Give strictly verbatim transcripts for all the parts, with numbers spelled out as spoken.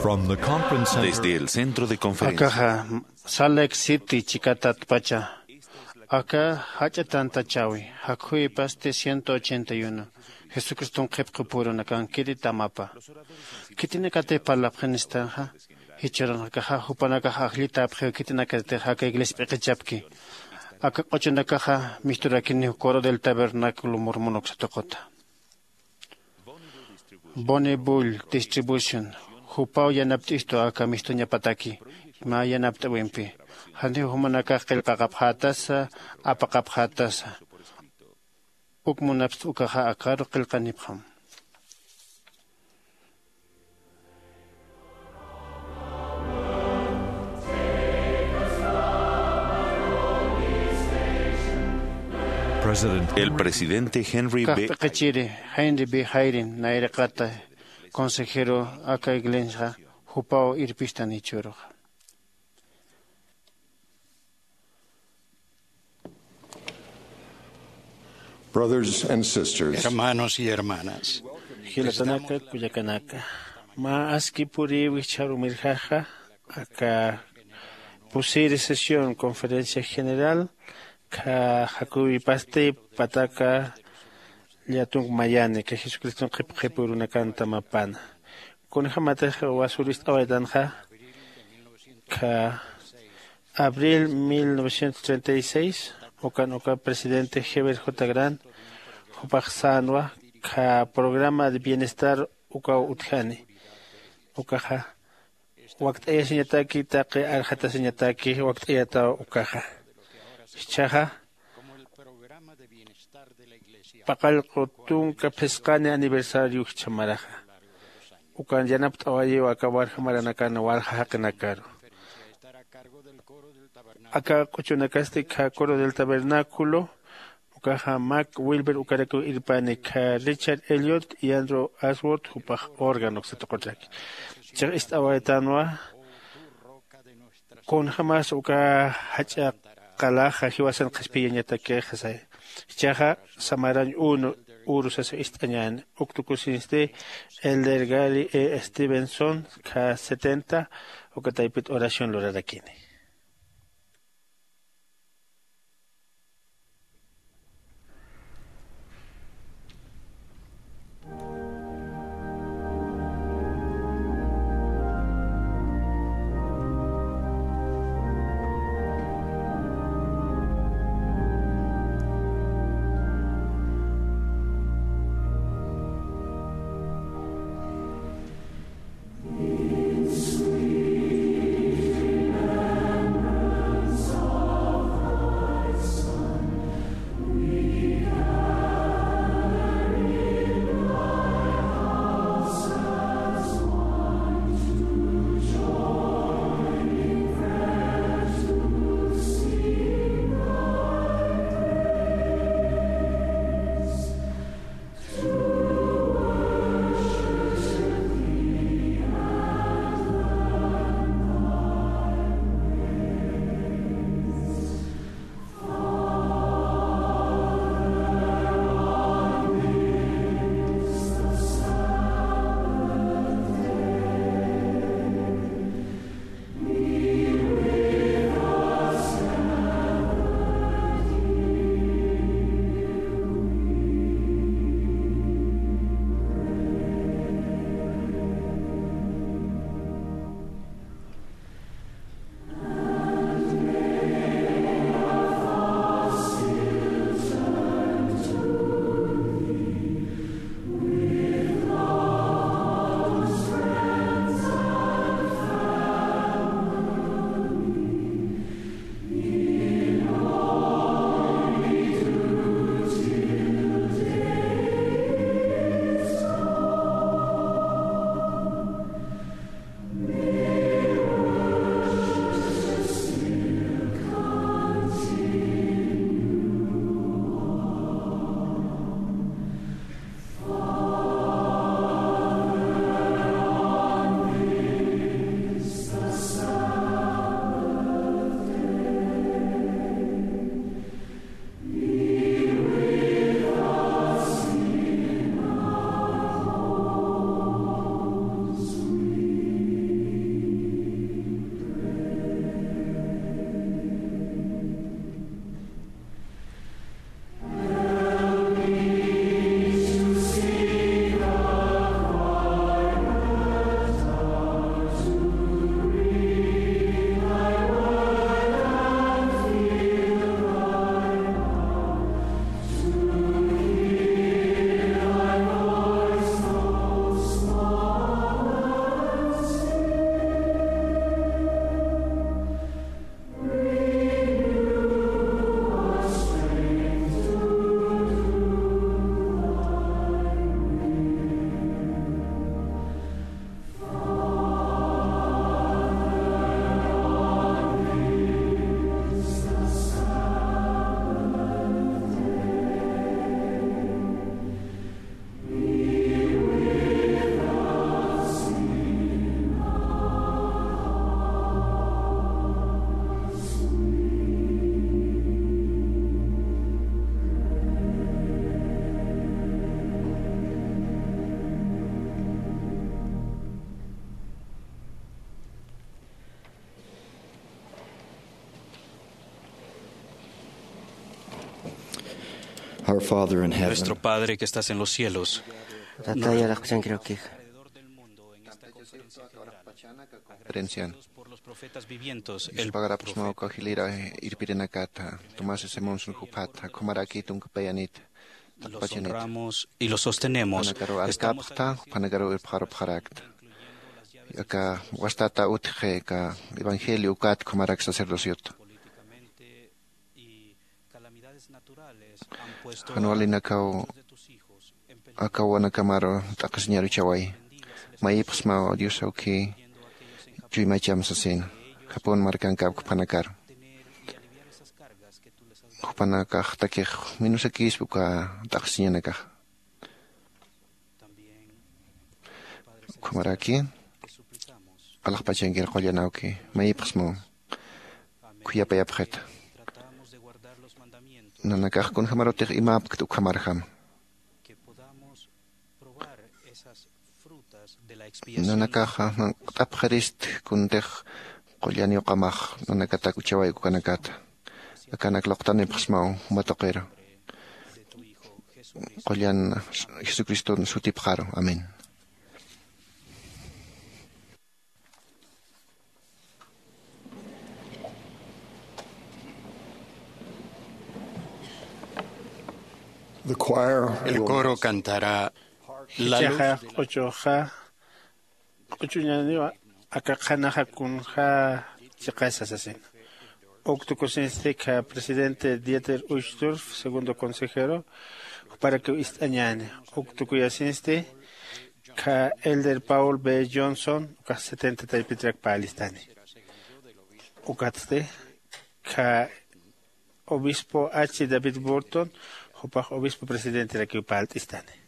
From the conference center. Desde el centro de conferencia. Akaxa Salt Lake City chikatatpacha. Aka jach'a tantachäwi, jakhuy pasti ciento ochenta y uno. Jesucriston qhipqi phurunakan kiri tamapa. Khitinakatix parlapxinistanxa, jichhürunx akaxa jupanakax ajllitäpxiw khitinakatix aka iglesia p'iqichapki. Aka q'uchunakaxa misturakiniw Coro del Tabernáculo Mormón uksa tuquta. Bonnie Bull Distribution, jupaw yanapt'istu aka mistuñapataki, mä yanapt'äwimpi. Janiw jumanakax qillqaqapxätasa, apaqapxätasa. Uk munapxta ukaxa akaru qillqanipxam. President El presidente Henry B. Kaqpiqichiri Henry B. Hayden nayraqata consejero aka iglesiaxa jupaw irpistan jichhüruxa. Brothers and sisters, hermanos y hermanas, jilatanaka, kullakanaka, mä aski purïwi jichhüruw mirjaxa, aka pusiri sesión conferencia general, kha jakhuy pasti pataka llätunk mayani, kha Jesucriston qhipqi phurunakan tamapana. Kunjamatix wasür ist'awaytanxa, kha abril mil novecientos treinta y seis, ukan uka presidente Heber J. Grant, jupax sänwa, kha programa de bienestar ukaw utjani. Ukaxa wakt'ayasiñataki, taqi arxatasiñataki wakt'ayataw ukaxa. Jichhaxa, paqallqu tunka phisqani aniversario jichha maraxa. Ukan yanapt'awayiw aka warja maranakan walja jaqinakaru. Aka q'uchunakasti kha Coro del Tabernáculo, ukaxa Mac Wilber ukarakiw irpani, kha Richard Elliot y Andrew Ashworth jupax órgano uksa tuqutaki. Chix ist'awaytanwa, kunjamas uka jach'a qalaxa jiwasan qhispiyañatakixa saya. Jichhaxa samarañ unu uru sasa ist'añäni, uk tukusinsti Elder Gary E. Stevenson, kha setenta, uka taypit oración lurarakini. Our Father in heaven. Nuestro Padre que estás en los cielos. Tatay alaxpachankiraki. Alrededor del mundo, en esta conferencia general, agradecidos por los profetas vivientes, el profeta irpirinakata, Tomás Simonson jupata, kumaraki tunka payanit, los honramos y los sostenemos. Jupanakaru alkapxta, jupanakaru irpxarupxarakta. Aka wastata utji, aka evangelio ukat kumarak sacerdociota. Jan walinakaw aka wawanakamaru t'aqhisiñaruchaway. Mayipxsmaw Dios awki chuymacham sasina. Japón markankap jupanakaru. Jupanakax takix minusakispa uka t'aqhisiñanakax. Ukhamaraki alaxpachankir qullan awki, mayipxsmaw khuyapayapxita. Nanakax kunjamarutix imapkta ukhamarjama. Nanakaxa nanq't'apxirist kuntix qullan yuqamax nanakatak uchawayku kanakata. Akanak luqtanipxsmaw juma tuqiru. Qullan Jesucriston sutipxaru. Amén. The choir El will coro cantará la luz. Jichhaxa q'uchuxa q'uchuñaniwa aka qhanaxa kunja chiqasa sasina. Uk tukusinsti kha presidente Dieter Uchtdorf, segundo consejero, juparakiw ist'añäni. Uk tukuyasinsti kha elder Paul B. Johnson, ukax setenta taypitrak parlistani. Ukatsti kha obispo H. David Burton, jupax obispo presidenterakiw parlt'istani.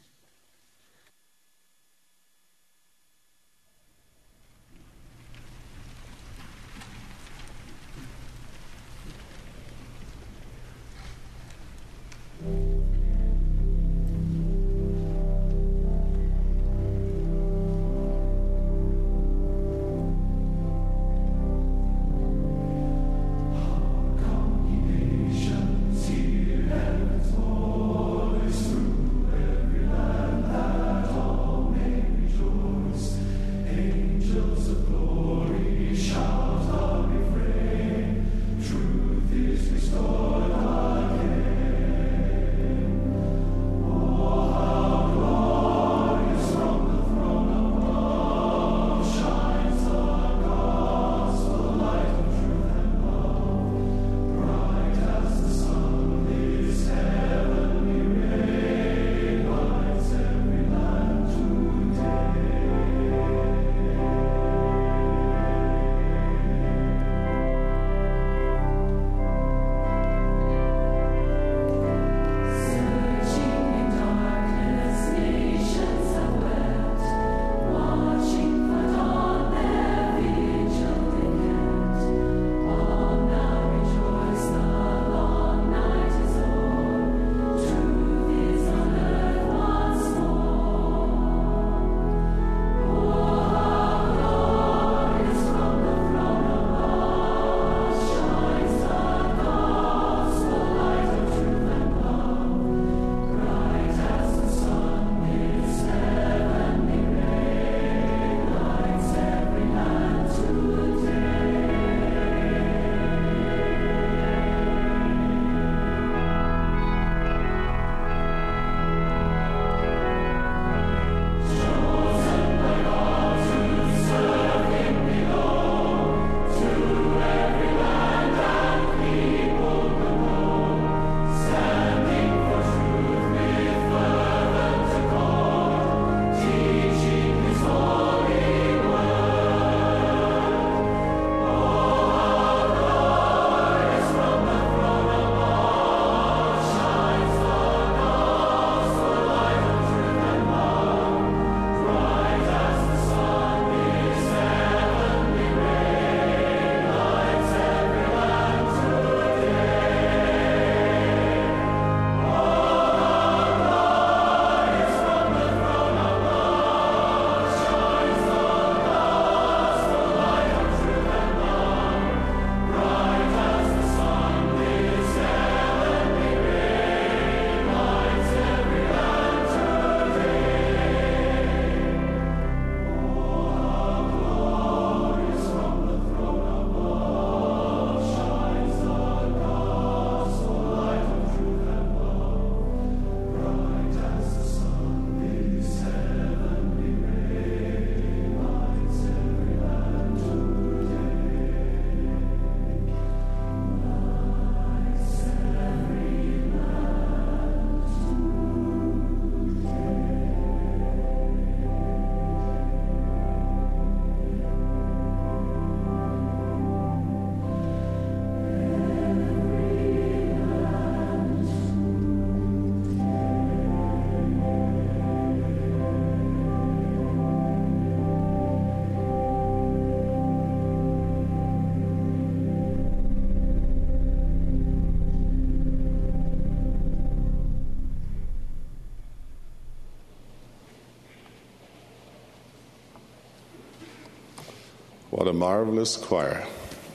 What a marvelous choir.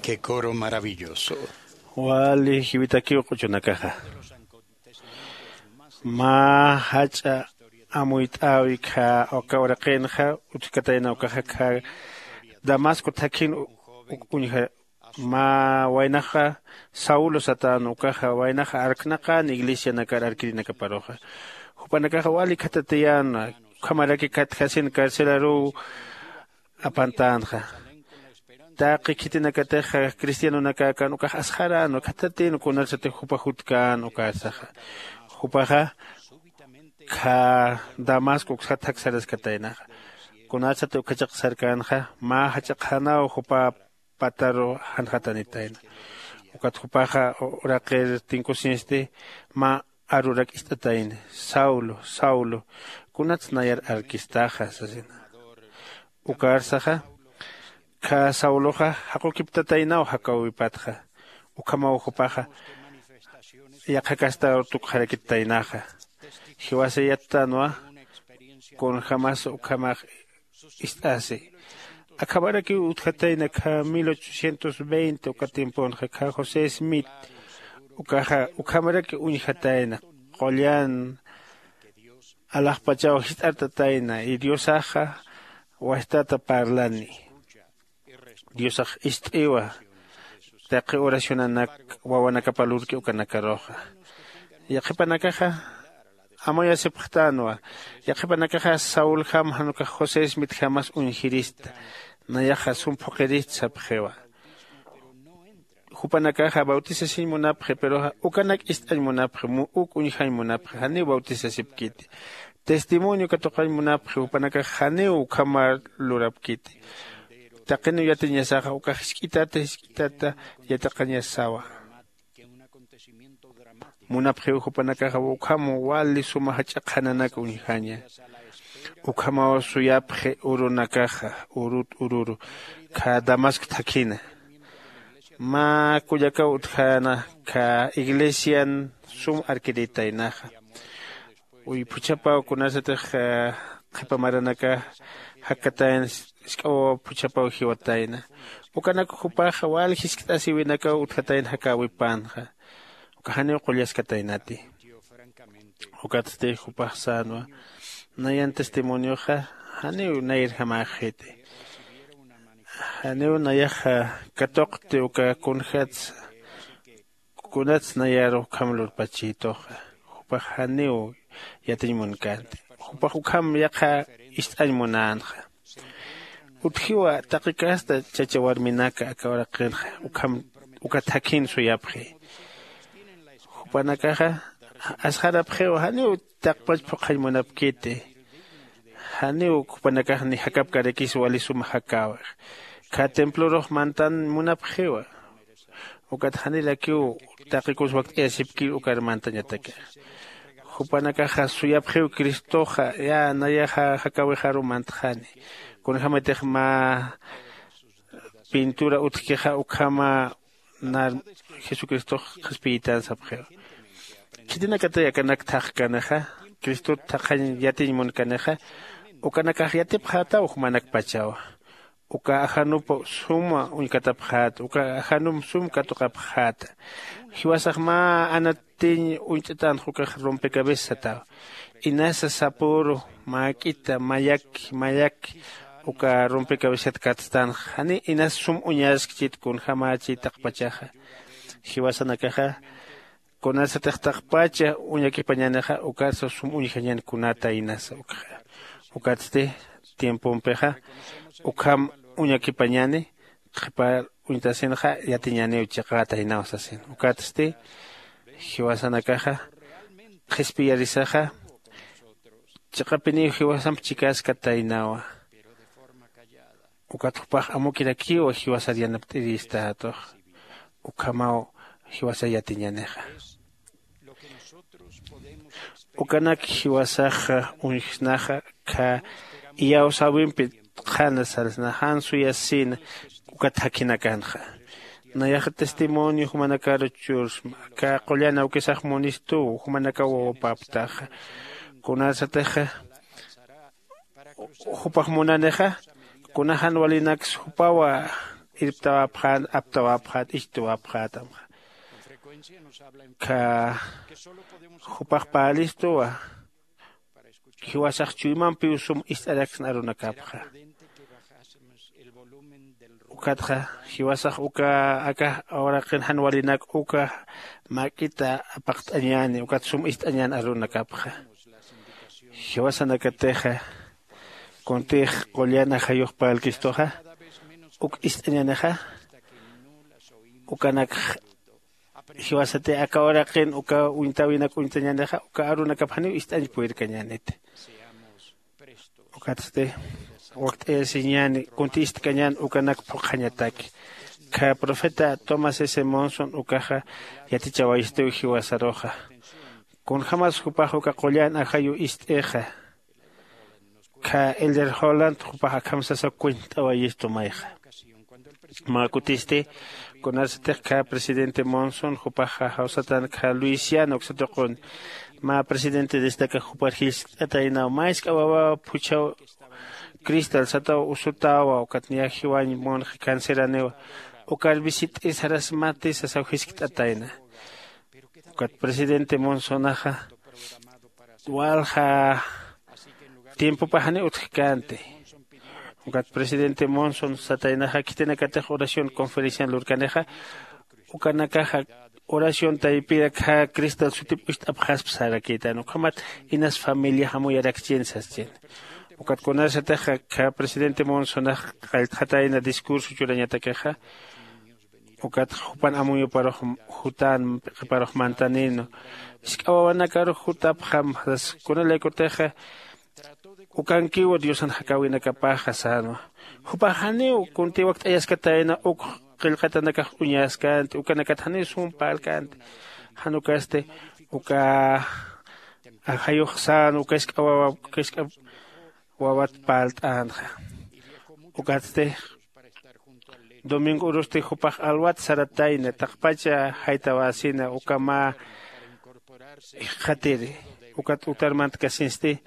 Qué coro maravilloso. Wali jiwitakiw q'uchunakaxa. Mä jach'a amuyt'äwi khä uka uraqinxa. Utjkatayna ukaxa khä damasco thakhin u- u- uñja. Mä waynaxa saulo satän ukaxa waynaxa arknaqän iglesianakar arkirinakaparuxa. Jupanakaxa wali khatatiyän ukhamaraki khatjasin carcelaruw apantänxa. Taqi khitinakatixa cristianonakäkän ukax asxarän khatatin kunarsatix jupa jutkän ukarsaxa. Jupaxa khä damasco uksat jaksaraskataynaxa. Kunarsati ukhachaq sarkänxa mä jach'a qhanaw jupa pataru janxatanitayna. Ukat jupaxa uraqir tinkusinsti mä arurak ist'atayna, saulo saulo, kunats nayar arkistaxa sasina. Ukarsaxa khä sauloxa jaqukiptataynaw jakäwipatxa. Ukhamaw jupaxa yaqhakasta tukxarakitaynaxa. Jiwasa yattanwa kunjämas ukhamax ist'asi. Akhamarakiw utjatayna khä mil ochocientos veinte uka tiemponxa khä josé smith ukaxa ukhamaraki uñjatayna. Qullan alaxpachaw jist'artatayna y diosaxa wastata parlani. Diosax ist'iwa taqi oracionanak wawanakapa lurki ukanakaruxa. Yaqhipanakaxa amuyasipxtänwa. Yaqhipanakaxa sauljam jan ukax josés mitjamas uñjirista. Nayaxa sum phuqhirista sapxiwa. Jupanakaxa bautisasiñ munapxi pero ukanak ist'añ munapxi uk uñjañ munapxi janiw bautisasipkiti. Testimonio katuqañ munapxi jupanakax janiw ukhamar lurapkiti. Taqiniw yatiñasaxa ukax jisk'itata jisk'itata yatiqañasawa. Munapxiw jupanakaxa ukham wali suma jach'a qhananak uñjaña. Ukhamaw suyapxi urunakaxa urut ururu khä damasco thakhina. Mä kullakaw utjäna khä iglesian sum arkiritaynaxa. Uy phuchhapaw kunasatix qhipa maranaka jakkatayna. Isk'awaw phuchhapaw jiwatayna. Ukanak jupaxa wal jiskt'asiwinakaw utjatayna jakäwipänxa. Uka janiw qullaskataynati. Ukatsti jupax sänwa nayan testimonioxa janiw nayirjamäxiti. Janiw nayaxa katuqti uka kunjatsa kunats nayar ukham lurpachïtuxa. Jupax janiw yatiñ munkänti. Jupax ukham yaqha ist'añ munänxa. Utjiwa taqi casta chacha warminaka aka uraqinxa ukham uka thakhin suyapxi. Jupanakaxa asxarapxiwa janiw taqpach phuqhañ munapkiti. Janiw jupanakax ni jakapkarakis wali suma jakäwix. Khä templorux mantan munapxiwa. Ukat janirakiw taqikus wakt'ayasipkir ukar mantañatakax. Jupanakaxa suyapxiw cristoxa ya nayaxa jakäwixaru mantxani. Kunjämatix mä pintura utjkixa ukhama nar jesucristox qhispiyitän sapxiwa. Khitinakatay akanak thaqkanixa cristot thaqhañ yatiñ munkanixa ukanakax yatipxätaw jumanakpachawa. Uka ajanup suma uñkatapxäta uka ajanum sum katuqapxäta. Jiwasax mä anatiñ uñt'atänxa ukax rompecabezas satawa. Inasa sapüru mäk'ita mayaki mayaki uka rompecabezat katstanxa janiw inas sum uñaskchit kunjämächi taqpachaxa. Jiwasanakaxa kunasatix taqpacha uñakipañänixa ukarsa sum uñjañän kunata inasa ukxa. Ukatsti tiempompixa ukham uñakipañäni qhipa uñtasinxa yatiñäniw chiqätaynaw sasin. Ukatsti jiwasanakaxa qhispiyarisaxa chiqapiniw jiwasamp chikaskataynawa. Ukat jupax amukirakiw jiwasar yanapt'iristätux ukhamaw jiwasar yatiñänixa. Ukanak jiwasaxa uñjsnaxa khä iyawsäwimpi qhana sarsna jan suyasina ukat jakhinakanxa. Nayaxa testimonio jumanakaru chursma khä qullan awkisax munistuw jumanakaw wawapaptaxa. Kunasatixa jupax munanixa Kuna jan walinaksa jupawa irptawapxän aptawapxät icht'uwapxätamxa. Kha jupax parlistuwa jiwasax chuymampiw sum ist'araksna arunakapxa. Ukatxa jiwasax uka aka uraqin jan walinak uka mäk'ita apaqt'añäni ukat sum ist'añän arunakapxa. Jiwasanakatixa kuntix qullan ajayux parlkistuxa uk ist'añänixa. Ukanakx jiwasati aka uraqin uka uñtäwinak uñtañänixa uka arunakap janiw ist'añ purirkañäniti. Ukatsti wakt'ayasiñäni kunti ist'kañän ukanak phuqhañataki. Kha profeta tomás s monson ukaxa yatichawayistiw jiwasaruxa. Kunjämas jupax uka qullan ajayu ist'ixa. Kha elder holland jupax akham sasa kuñt'awayistu mayxa. Mä kutisti kunarsatix kha presidente monson jupaxa jawsatan kha luisiana uksa tuqun mä presidente destaca jupar jiskt'ataynaw mä jisk'a wawaw phuchhaw cristal sataw usutawa ukat niyax jiwañ munxi canceraniwa. Ukar visit'i sarasmati sasaw jiskt'atayna. Ukat presidente monsonaxa walja tiempopax janiw utjkänti. Ukat presidente monson sataynaxa khitinakatix oración conferencian lurkanixa ukanakaxa oración taypir akha cristal sutip ucht'apxaspa sarakïtän ukhamat inas familiax amuyarakchïn saschin. Ukat kunarsatix akha presidente monsonax qalltxatayna discurso churañatakixa ukat jupan amuyuparux jutän p'iqiparux mantanïnu. Jisk'a wawanakarux jutapxam sas kunalaykutixa ukankiwa diosan jakäwinakapaxa sänwa. Jupax janiw kunti wakt'ayaskatayna uk qillqatanakax uñaskänti ukanakat janiw sum parlkänti. Jan ukasti uka ajayux sän uka jisk'a wawa uka jisk'a wawat parlt'änxa. Ukatsti domingo urusti jupax alwat saratayna taqpacha jaytawäsina uka mä jikxatiri. Ukat utar mantkasinsti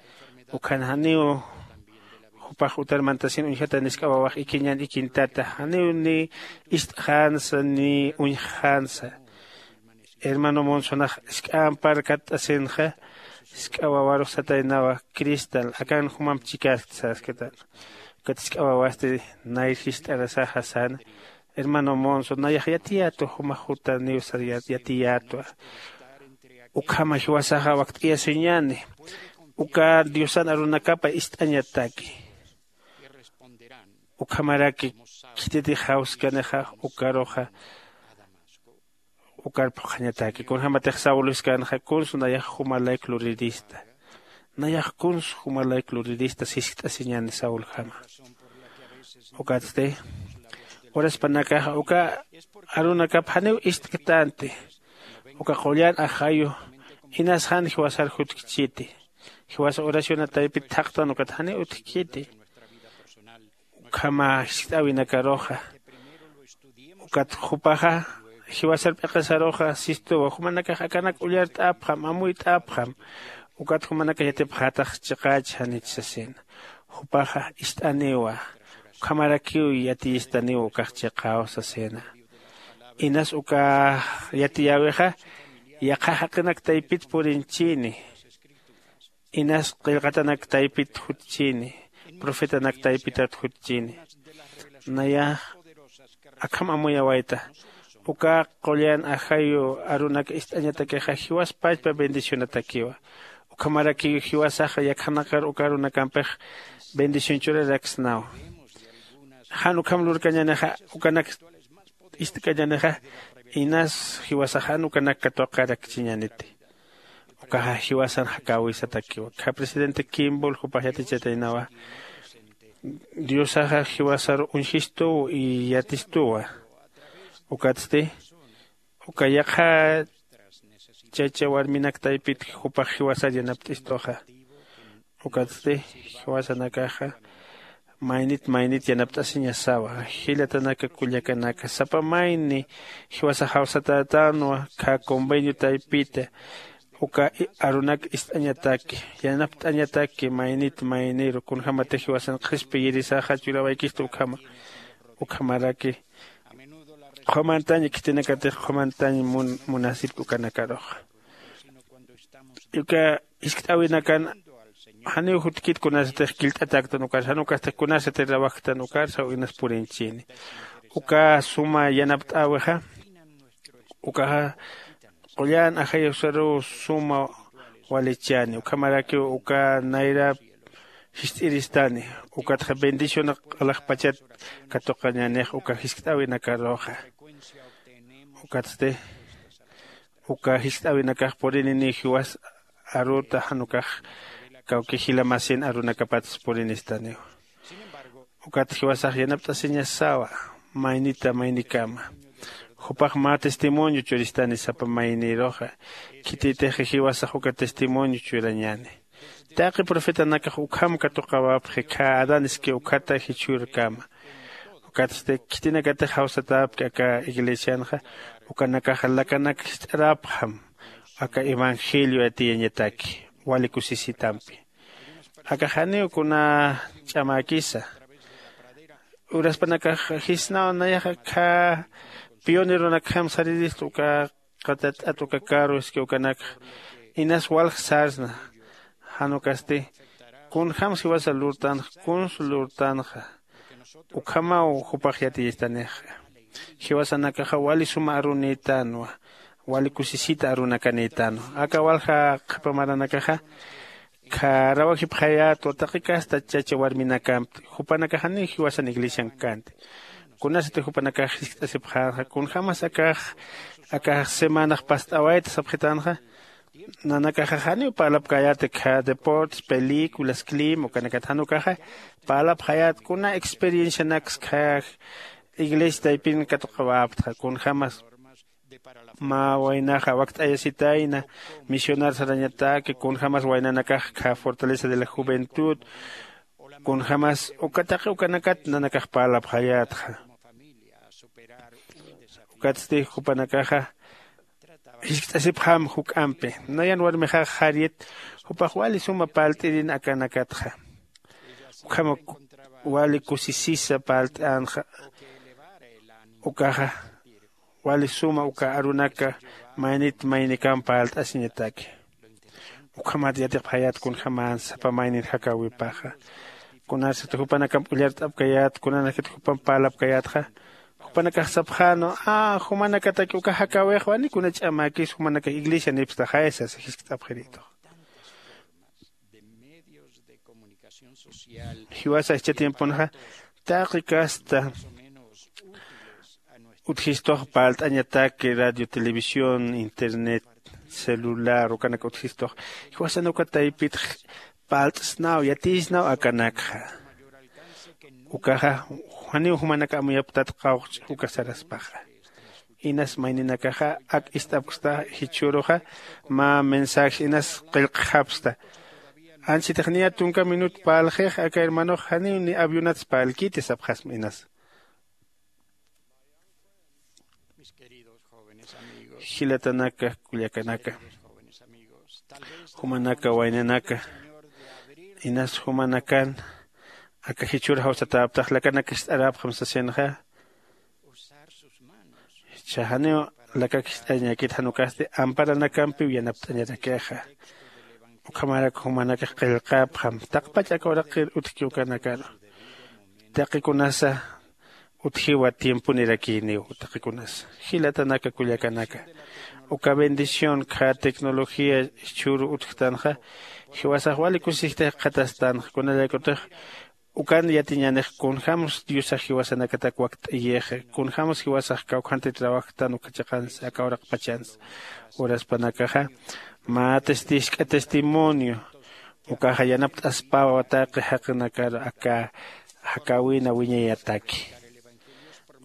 ukhan janiw jupax utar mantasin uñjatan jisk'a wawax ikiñan ikintata janiw ni ist'xänsa ni uñjxänsa. Hermano monsonax jisk'ampar katt'asinxa jisk'a wawarux sataynawa cristal akan jumamp chikaskta sasktan. Ukat jisk'a wawasti nayr jist'arasaxa säna hermano monson nayax yatiyätwa jumax jutaniw sar yatiyätwa. Ukhama jiwasaxa wakt'ayasiñäni uka diosan arunakapa ist'añataki. Ukhamaraki khititix jawskanixa ukaruxa ukar phuqhañataki kunjämatix saul jiskänxa kunsu nayax jumalayk lurirista. Nayax kunsu jumalayk lurirista siskt'asiñäni sauljama. Ukatsti uraspanakaxa uka arunakap janiw ist'ktänti. Uka qullan ajayu inas jan jiwasar jutkchiti. Jiwasa oraciona taypit thaqtan ukat janiw utjkiti. Ukhama jiskt'äwinakaruxa ukat jupaxa jiwasar p'iqisaruxa sistuwa jumanakax akanak ullart'apxam amuyt'apxam. Ukat jumanakax yatipxätax chiqäch janich sasina. Jupaxa ist'aniwa ukhamarakiw yatiyistaniwa ukax chiqäw sasina. Inas uka yatiyäwixa yaqha jaqinak taypit purinchini. Inas qillqatanak taypit jutchini profetanak taypitat jutchini. Nayax akham amuyawayta uka qullan ajayu arunak ist'añatakixa jiwas pachpa bendicionatakiwa. Ukhamarakiw jiwasaxa yakhanakar uka arunakampix bendición churaraksnaw. Jan ukham lurkañänixa ukanak ist'kañänixa inas jiwasax jan ukanak katuqarakchiñäniti. Ukaxa jiwasan jakäwisatakiwa kha presidente kimbol jupax yatichataynawa. Diosaxa jiwasar uñjistuw y yatistuwa. Ukatsti uka yaqha chacha warminak taypit jupax jiwasar yanapt'istuxa. Ukatsti jiwasanakaxa maynit maynit yanapt'asiñasawa. Jilatanaka kullakanaka sapa mayni jiwasax jawsatätänwa kha convenio taypita uka arunak ist'añataki, yanapt'añataki maynit mayniru kunjämatix jiwasan qhispiyirisaxa churawaykista ukhama. Ukhamaraki qhumantañ khitinakatix qhumantañ munasipki ukanakaruxa. Uka jiskt'äwinakan janiw jutkit kunasatix killt'atäktan ukar jan ukasti kunasatix rawajktan ukar saw inas puriñchini. Uka suma yanapt'äwixa ukaxa qullan ajayusaruw suma walichani ukhamarakiw uka nayrap jist'iristani. Ukatxa bendicionak q'alaxpachat katuqañanix uka jiskt'äwinakaruxa. Ukatsti uka jiskt'äwinakax purininiw jiwas aruta jan ukax kawki jila masin arunakapatsa purinistaniw. Ukat jiwasax yanapt'asiñasawa maynita maynikama. Jupax mä testimonio churistani sapa mayniruxa. Khititix jiwasax uka testimonio churañani. Taqi profetanakax ukham katuqawapxi khä adan iski ukhata jichhürkama. Ukatsti khitinakatix jawsatäpki aka iglesianxa ukanakax lakanak jist'arapxam aka evangelio yatiyañataki wali kusisitampi. Aka janiw kuna ch'amäkisa uraspanakax jisnaw nayaxa khä pioneronakjam sarirista uka qatat'at uka karu iski ukanakxa inas walj sarsna. Jan ukasti kunjämsa jiwasa lurtanxa kuns lurtanxa ukhamaw jupax yatiyistanixa. Jiwasanakaxa wali suma arunïtanwa wali kusisita arunakanïtanwa. Aka walja qhipa maranakaxa kharawajipxayätwa taqi kasta chacha warminakampi jupanakax janiw jiwasan iglesiankänti. Kunasati jupanakax jiskt'asipxänxa kunjämas akax akax semanax past'awayta sapxitänxa. Nanakaxa janiw parlapkäyäti khä deportes películas clima ukanakat jan ukaxa parlapxayät kuna experiencianaksa khä iglesia taypin katuqawapxta kunjämas mä waynaxa wakt'ayasitayna misionar sarañataki kunjämas waynanakax khä fortaleza de la juventud kunjämas uka taqi ukanakat nanakax parlapxayätxa. Ukatsti jupanakaxa jiskt'asipxam juk'ampi nayan warmixax jariyat jupax wali suma parlt'irin akanakatxa. Ukhama wali kusisisa parlt'änxa ukaxa wali suma uka arunaka maynit maynikam parlt'asiñataki. Ukhamat yatiqpxayät kunjämän sapa maynin jakäwipaxa. Kunasat jupanakamp ullart'apkayät kunanakit jupamp parlapkayätxa jupanakax sapxänwa a jumanakataki uka jakäwixwani kuna ch'amäkis jumanakax iglesianipstaxay sasa jiskt'apxirïtux. Jiwasa jichha tiemponxa taqi kasta utjistux parlt'añataki radio televisión internet celular ukanak utjistux jiwasan uka taypitx parlt'snaw yatiysnaw akanakxa. Ukaxa janiw jumanak amuyapktat qawqch uka saraspaxa. Inas mayninakaxa ak ist'apksta jichhüruxa mä mensajes inas qillqxapksta. Ansitix niya tunka minut parlxix aka hermanox janiw ni avionats parlkiti sapxasma inas. Jilatanaka kullakanaka, jumanaka waynanaka inas jumanakan aka jichhür jawsatäptax lakanakist'aräpxam sasinxa. Jichha janiw lakakist'añäkit jan ukasti amparanakampiw yanapt'añarakixa. Ukhamarak jumanakax qillqapxam taqpach aka uraqir utjki ukanakaru. Taqi kunasa utjiwa tiemponirakïniw taqi kunasa. Jilatanaka kullakanaka, uka bendición khä tecnología jichhüru utjtanxa jiwasax wali kusisistix qhatastanxa kunalaykutix ukan yatiñänix kunjämsa diosax jiwasanakatak wakt'ayixa kunjämsa jiwasax kawkhantï trabajtan uka chiqansa aka uraqpachansa. Uraspanakaxa mä testisk'a testimonio ukaxa yanapt'aspawa taqi jaqinakar aka jakäwina wiñayataki.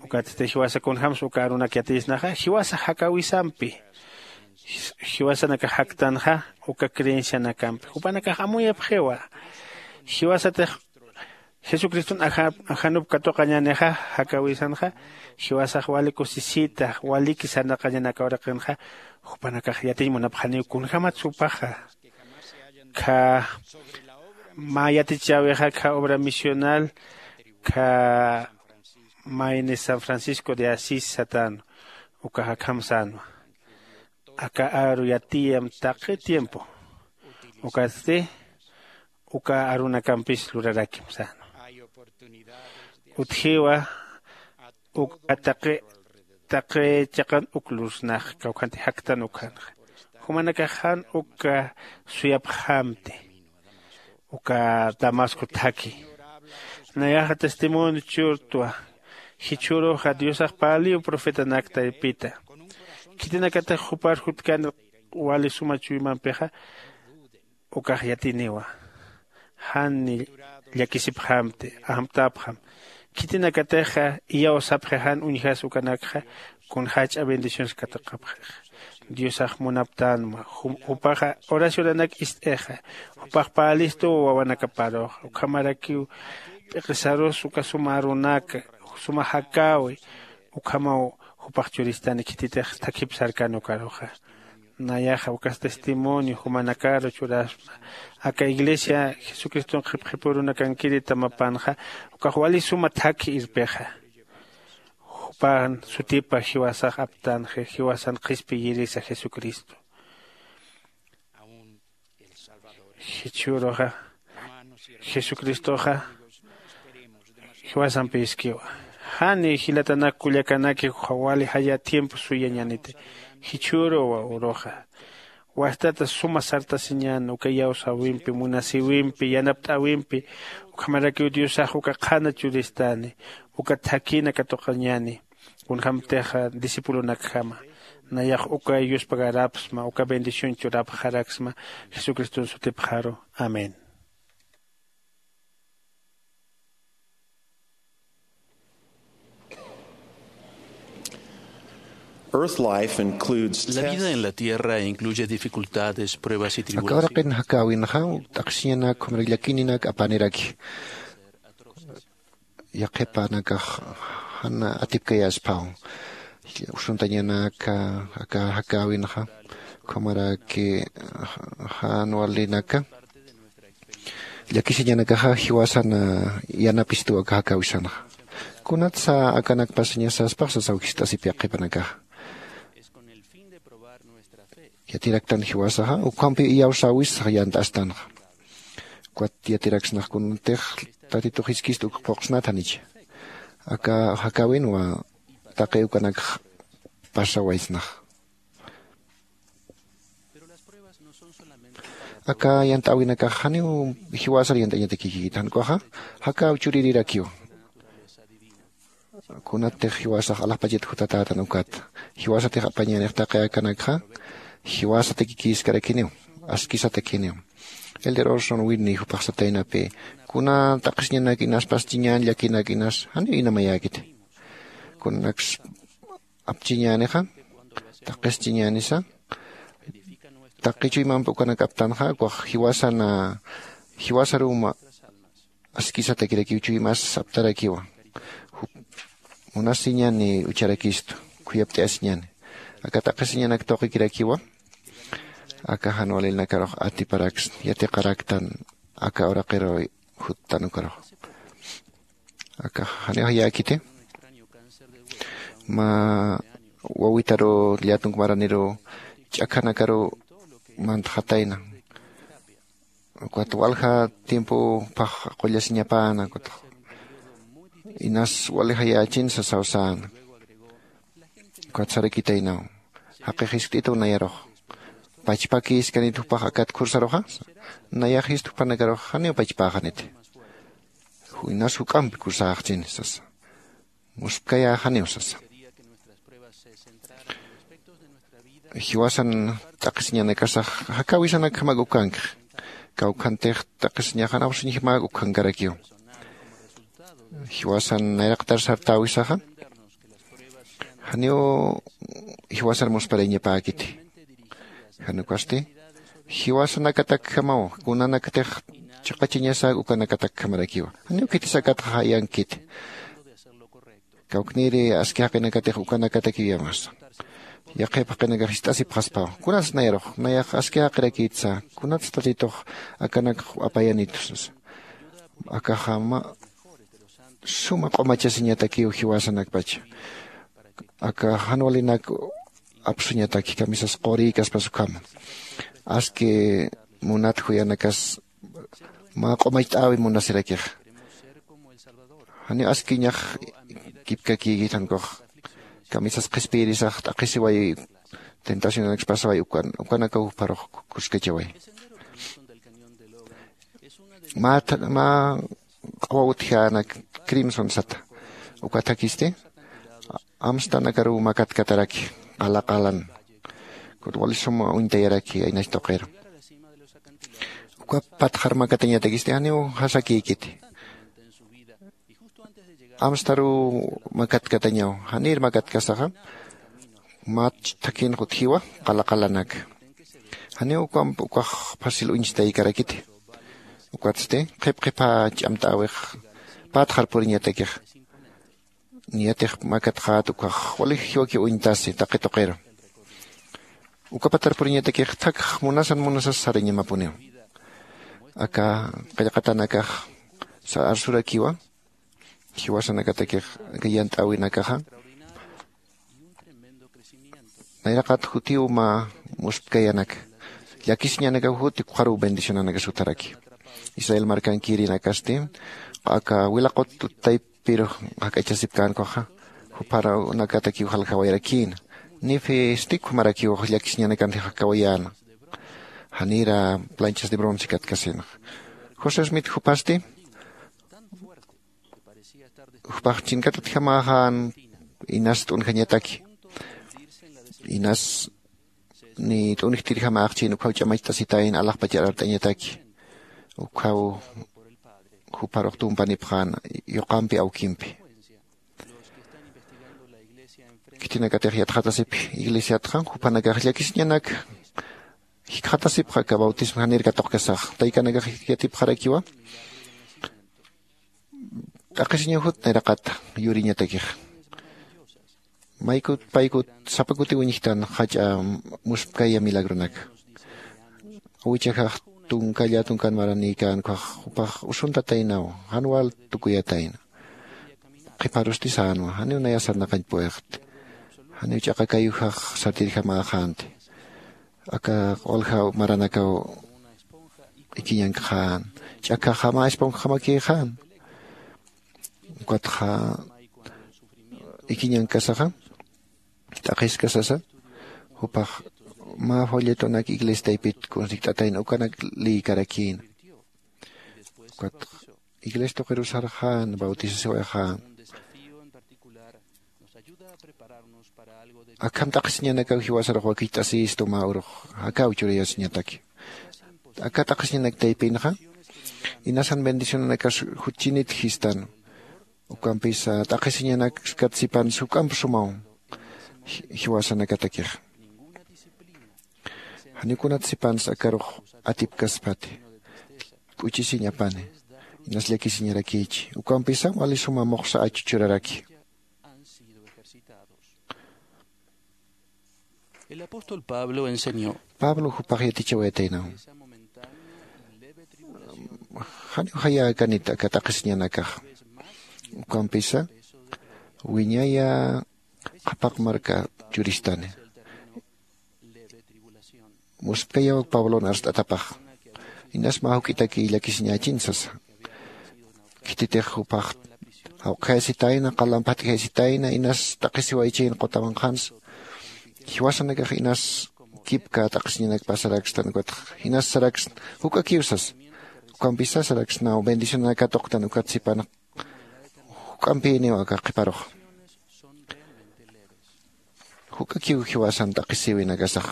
Ukatsti jiwasa kunjämsa uka arunak yatiysnaxa jiwasa jakäwisampi jiwasanakax jaktanxa uka creencianakampi jupanakax amuyapxiwa. Jiwasatix Jesucriston ajanup katuqañänixa, jakäwisanxa jiwasax wali kusisita, waliki sarnaqañan aka uraqinxa. Jupanakax yatiñ munapxaniw kunjämat jupaxa khä mä yatichäwixa khä obra misional khä mayni san francisco de asís satänwa. Ukax akham sänwa, aka aru yatiyam taqi tiempo. Ukatsti uka arunakampis lurarakim sänwa. Utjiwa uka taqi taqi chiqan uk lursnax kawkhanti jaktan ukhanxa. Jumanakax jan uka suyapxamti uka damasco thakhi. Nayaxa testimonio churtwa. Jichhüruxa diosax parliw profetanak taypita, khitinakatix jupar jutkan wali suma chuymampixa. Ukax yatiniwa. Jan llakisipxamti, amtapxam. Khitinakatixa iyawsapxi jan uñjas ukanakxa, kunjäch'a bendiciones katuqapxixa. Diosax munaptänma. Jupaxa oracionanak ist'ixa, jupax parlistuw wawanakaparuxa ukhamarakiw p'iqisarus uka suma arunaka, suma jakäwi. Ukhamaw jupax churistani khititix thakhip sarkani ukaruxa. Nayaxa ukas testimonio jumanakaru churasma. Aka iglesia jesucriston qhipqhipürunakankiri tamapanxa, ukax wali suma thakhi irpixa. Jupan sutipa jiwasax aptanxi jiwasan qhispiyirisa jesucristo. Jichhüruxa jesucristoxa jiwasampiskiwa. Jani jilatanak kullakanaki wali jaya tiempo suyañaniti. Jichhüruwa uruxa wastata suma sartasiñan uka iyawsäwimpi munasïwimpi yanapt'äwimpi. Ukhamarakiw diosax uka qhana churistani, uka thakïna katuqañani. Kunjämtixa discipulonakjama nayax uka yuspagarapxsma uka bendición churapxaraksma. Jesucriston sutipxaru. Amén. Earth life includes la vida en la tierra incluye dificultades, pruebas y tribulaciones. Aka uraqin jakäwinxa t'aqhisiñanak jumrak llakininak apaniraki. Yaqhipanakax jan atipkayaspaw usuntañanaka aka jakäwinxa. Ukhamaraki jan walinaka llakisiñanakaxa jiwasan yanapistuw aka jakäwisanxa. Kunatsa akanakpasiñasaspax sasaw jist'asipï yaqhipanakaxa. Yatiraktan jiwasaxa ukhampi iyawsäwisax yant'astanxa. Ukat yatiraksnax kunatix tatitux jiskista uk phuqsnat janicha. Aka jakäwinwa taqi ukanakx pasawaysnax. Aka yant'äwinakax janiw jiwasar yant'añatakikïkit jan ukaxa jakäw churirirakiw. Kunatix jiwasax alaxpachat jutatätan ukat jiwasatix apañänix taqi akanakxa jiwasatakikïskarakiniw. Askisatakiniw. Elder orson winni jupax sataynapï kuna t'aqhisiñanak inaspas chiñän llakinak inas janiw inamayäkiti. Kunanaks apchiñänixa taqis chiñänisa taqi chuymampi ukanak aptanxa ukax jiwasan jiwasaruma askisatakirakiw chuymas aptarakiwa. Munasiñani ucharakistu khuyapt'ayasiñani aka t'aqhisiñanak tuqikirakiwa. Aka jan walilnakarux atiparaks yatiqaraktan aka uraqiru juttan ukarux. Aka janiw jayäkiti mä wawitaru llatunk maraniru ch'akhanakaru mantxatayna. Ukat walja tiempo phax qullasiñapäna ukatx inas wali jayächin sasaw säna. Ukat sarakitaynaw jaqix jiskt'ituw nayarux pachpakïskanit jupax akat khursaruxa. Nayax jist jupanakarux janiw pachpäxaniti. Inas juk'ampi khursäxchini sasa. Muspkayäxaniw sasa. Jiwasan t'aqhisiñanakasax jakäwisanakjamak ukankxi. Kawkhantix t'aqhisiñaxan awsiñjamak ukhankarakiw. Jiwasan nayraqtar sartäwisaxa janiw jiwasar musparayañapäkiti. Jan ukasti jiwasanakatakjamaw kunanaktix chiqachañasak ukanakatakjamarakiwa. Janiw khitis akatxa jayankiti. Kawkniri aski jaqinakatix ukanakatakiw yamasa. Yaqhip jaqinakax jist'asipxaspawa, kunats nayrux nayax aski jaqirakïtsa, kunats tatitux akanakx apayanitsa. Akaxa mä suma q'umachasiñatakiw jiwasanakpacha. Aka jan walinak apsuñataki kamisas qurïkaspas ukhama. Aski munat juyanakas mä q'umacht'äwi munasirakixa. Janiw askiñax kipkakïkit jan ukax. Kamisas qhispiyirisax t'aqhisiway tentacionanakspasawayi ukanakaw jupharux kuskachaway. Mä q'awa utjänak crimson sata. Uka thakhisti amstanakaruw makatkataraki qala qalan. Kut wali suma uñtayaraki aynach tuqiru. Uka patxar makatañatakist'i janiw jasakïkiti. Amstaruw makatkatañaw. Janïr makatkasaxa mach thakhinx utjiwa qala qalanak. Janiw ukamp ukax facil uñstaykarakiti. Ukatsti qhip qhipha ch'amt'äwix patxar puriñatakix. Niyatix makatxät ukax wali jiwakiw uñtasi taqi tuqiru. Uka patar puriñatakix thakx munasan munasas sarañamapuniw. Aka qillqatanakax arsurakiwa. Jiwasanakatakix aka yant'äwinakaxa nayraqat jutiw mä muspkayanak llakisiñanakaw juti ukxaruw bendicionanakas jutharaki. Israel markankirinakasti aka wilaqut taypirux jak'achasipkänkuxa jupharanakatakiw jaljawayarakïna. Nifisti ukhamarakiw llakisiñanakantix jakawayäna. Janïra planchas de bronce katkasinxa. José smith jupasti jupax chinkatatjamäxän inas t'unjañataki. Inas ni t'unjtirjamäxchin ukkhaw ch'amacht'asitayna alaxpachar art'añataki. Ukkhaw jupharux tumpanipxän yuqampi awkimpi. Khitinakatix yatxatasipki iglesiatxa juphanakax llakisiñanak jikxatasipxa aka bautismo janir katuqkasax taykanakax yatipxarakiwa. T'aqhisiñaw jut nayraqata yuriñatakix. Maykut paykut sapa kuti wiñjtan jach'a muspkaya milagronaka. Awichajax tunkalla tunkan maranïkän ukhax jupax usuntataynaw jan wal tukuyatayna. Qhiparusti sänwa janiw naya sarnaqañ puwixti. Janiw ch'aqa kayujax sartirjamäxänti. Aka walja maranakaw ikiñankxän ch'akjaxa mä esponjxamakïxän. Ukatxa ikiñankasaxa t'aqhiskasasa jupax mä folletonak iglesia taypit kunsikt'atayna ukanak lïkarakïna. Ukatxa iglesia tuqirusarxän bautisasiwayxän. Akham t'aqhisiñanakaw jiwasarux wakicht'asïstu mä urux akaw churayasiñataki. Aka t'aqhisiñanak taypinxa inasan bendicionanakas jutchinit jistan. Ukampisa t'aqhisiñanakskatsipan suk'amp sumaw jiwasanakatakixa. Janiw kunatsipansa akarux atipkaspati k'uchisiñ apani. Inas llakisiñarakïchi ukampisa wali suma muxsa achuchuraraki. El apóstol Pablo enseñó. Pablo jupax yatichawayataynaw. Janiw jayäkanit aka t'aqhisiñanakax. Ukampisa wiñaya qhapaq marka churistani. Muspkayaw pablon arst'atapax. Inas mä juk'itaki llakisiñächin sasa. Khititix jupax jawqhayasitayna qalam phatkhayasitayna inas t'aqhisiwaychin qutamanqhansa. Jiwasanakax inas kipka t'aqhisiñanak pasarakstan ukatx jinas saraksna juk'akiw sasa. Ukampisa saraksnaw bendicionanak katuqtan ukat sipan juk'ampïniw aka qhiparux. Juk'akiw jiwasan t'aqhisiwinakasax.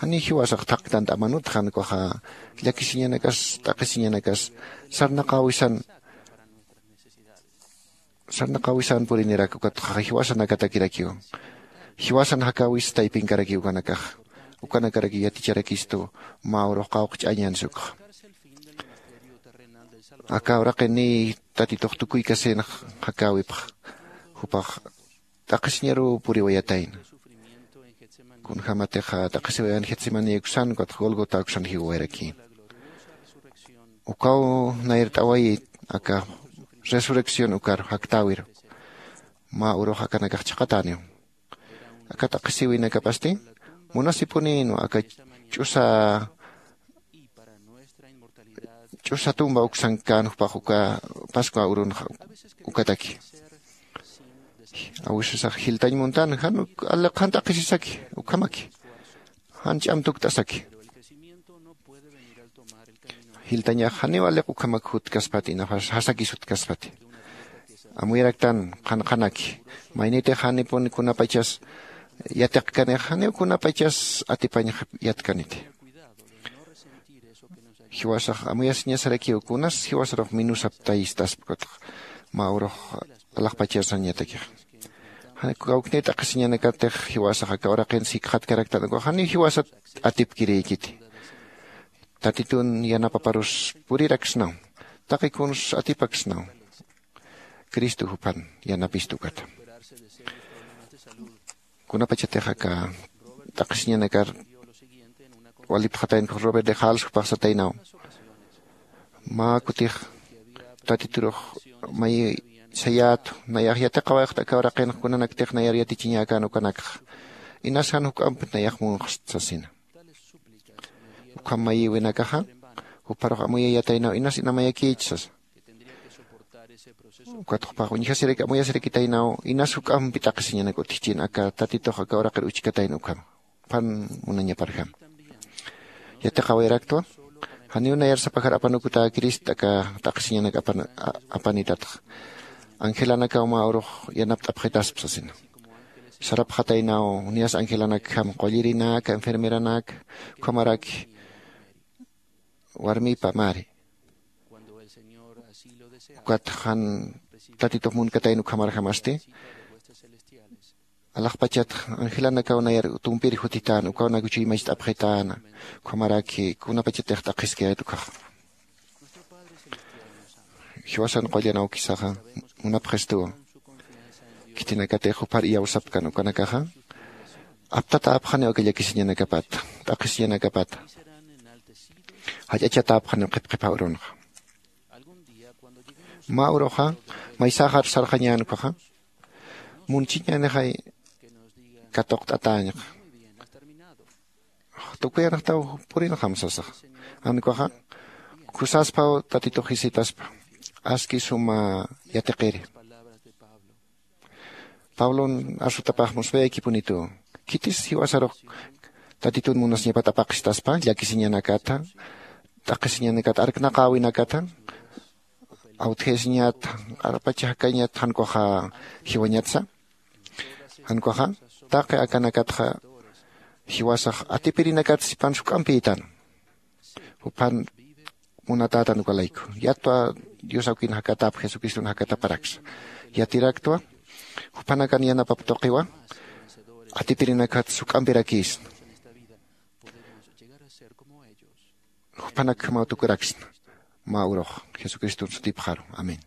Janiw jiwasax thaqtant'amanut jan ukaxa llakisiñanakas t'aqhisiñanakas sarnaqäwisan sarnaqäwisan purinirak ukatxa jiwasanakatakirakiw. Jiwasan jakäwis taypinkarakiw ukanakax. Ukanakarakiw yaticharakistu mä urux qawqch'añan sukxa. Aka uraqiniy tatitux tukuykasinax jakäwipx jupax t'aqhisiñaruw puriwayatayna. Kunjämatix t'aqhisiwayan getsemani uksan ukatx gólgota uksan jiwawayarakïna. Ukaw nayart'awayi aka resurrección ukar jaktäwiru. Mä urux akanakax chhaqatäniw. Aka t'aqhisiwinakapasti munasipunïnwa aka ch'usa ch'usa tumba uksankän jupax uka pascua urunxa ukataki. Awisasax jiltañ muntan jan uk aliq jan t'aqhisisaki ukhamaki jan ch'am tukt'asaki. Jiltañax janiw aliq ukhamak jutkaspati ina jasakis jutkaspati. Amuyaraktan qhanqhanaki maynitix janipun kunapachas yatiqkanix janiw kunapachas atipañ yatkaniti. Jiwasax amuyasiñasarakiw kunas jiwasarux minusaptayistaspa ukatx mä urux alaxpachasrañatakix. Kawknïr t'aqhisiñanakatix jiwasax aka uraqin sikxatkaraktan ukax janiw jiwasat atipkirïkiti. Tatitun yanapaparus puriraksnaw taqi kuns atipaksnaw. Cristo juphan yanapistu ukata. Kunapachatix aka t'aqhisiñanakar walipxataynkux robert de jals jupax sataynaw. Mä kutix tatiturux may sayätu nayax yatiqawayxt aka uraqinx kunanaktix nayar yatichiñäkän ukanakxa inas jan juk'amp nayax munxst sasina. Ukham mayïwinakaxa jupharux amuyayataynaw inas inamayakïch sasa. Ukat jupax uñjasiraki amuyasirakitaynaw inas juk'ampi t'aqhisiñanak utjchin aka tatitux aka uraqir uchkatayna ukhama. Juphan munañaparjama. Yatiqawayaraktwa janiw nayar sapajar apanukutä crist aka t'aqhisiñanak apanitatxa. Angelanakaw mä urux yanapt'apxitaspa sasina. Sarapxataynaw niyas angelanakjam qullirinak enfermeranaka ukhamaraki warmipa mari. Ukat jan tatitux munkatayna ukhamarjamasti alaxpachat angelanakaw nayar tumpir jutitäna ukaw nakuchuy macht'apxitäna. Ukhamaraki kunapachatix t'aqhiskayät ukhaxa. Jiwasan qullan awkisaxa munapxistuwa. Khitinakatix juphar iyawsapkan ukanakaxa aptatäpxaniw aka llakisiñanakapata t'aqhisiñanakapata. Jach'achatäpxaniw qhipqhipha urunxa. Mä uruxa maysäxar sarxañän ukhaxa munchiñänixay katuqt'atäñxa. Tukuyanxtaw purinxam sasaxa. Jan ukhaxa khusaspaw tatitux jisitaspa aski suma yatiqiri. Pablon arsutapax muspayakipunituw khitis jiwasarux tatitun munasiñapat apaqistaspa llakisiñanakata t'aqhisiñanakata arknaqäwinakata awtjayasiñat arpacha jakañat jan ukhaxa jiwañatsa. Jan ukhaxa taqi akanakatxa jiwasax atipirinakat sipan juk'ampïtan. Juphan munatätan uka layku yatwa dios awkin jakatap jesucriston jakataparaksa. Yatiraktwa juphanakan yanapap tuqiwa atipirinakat juk'ampirakïsna. Juphanakjamaw tukuraksna mä urux jesucriston sutipxaru. Amén.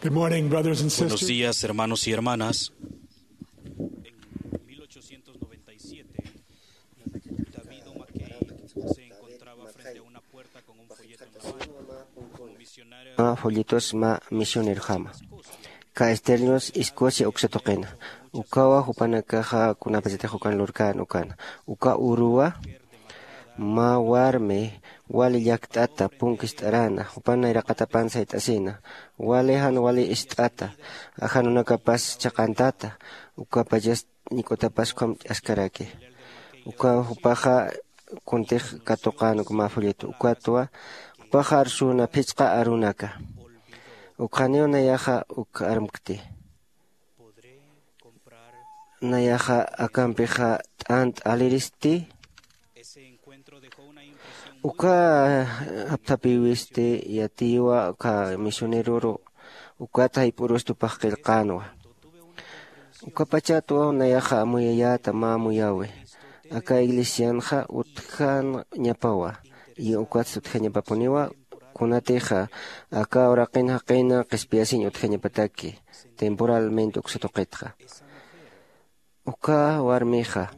Good morning, brothers and sisters. Buenos días, hermanos y hermanas. En mil ochocientos noventa y siete, David O'Mackey se encontraba frente a una puerta con un folleto en la mano. Como misionero, mä folletos mä misionerjama. Ka Sternios Escocia uksa tuqina. Ukawa jupanakaxa kunapachatix ukan lurkän ukana. Uka uruwa mä warmi wali llakt'ata punkist'arana jupan nayraqatapan sayt'asina. Wali jan wali ist'ata ajanunakapas chhaqantata. Ukapachas ñik'utapas ukham ch'askaraki. Uka jupaxa kuntix katuqän uk mä folleto ukatwa jupaxa arsuna phichqa arunaka. Ukxaniw nayaxa uk armkti. Nayaxa akampixa t'ant aliristi. Uka apthapïwisti yatïwa uka misioneroru. Ukat jayp'urus tupax qillqänwa. Ukapachatwa nayaxa amuyayäta mä amuyäwi. Aka iglesianxa utjañapawa y ukatsti utjañapapuniwa. Kunatixa aka uraqin jaqina qhispiyasiñ utjañapataki temporalmente uksa tuqitxa. Uka warmixa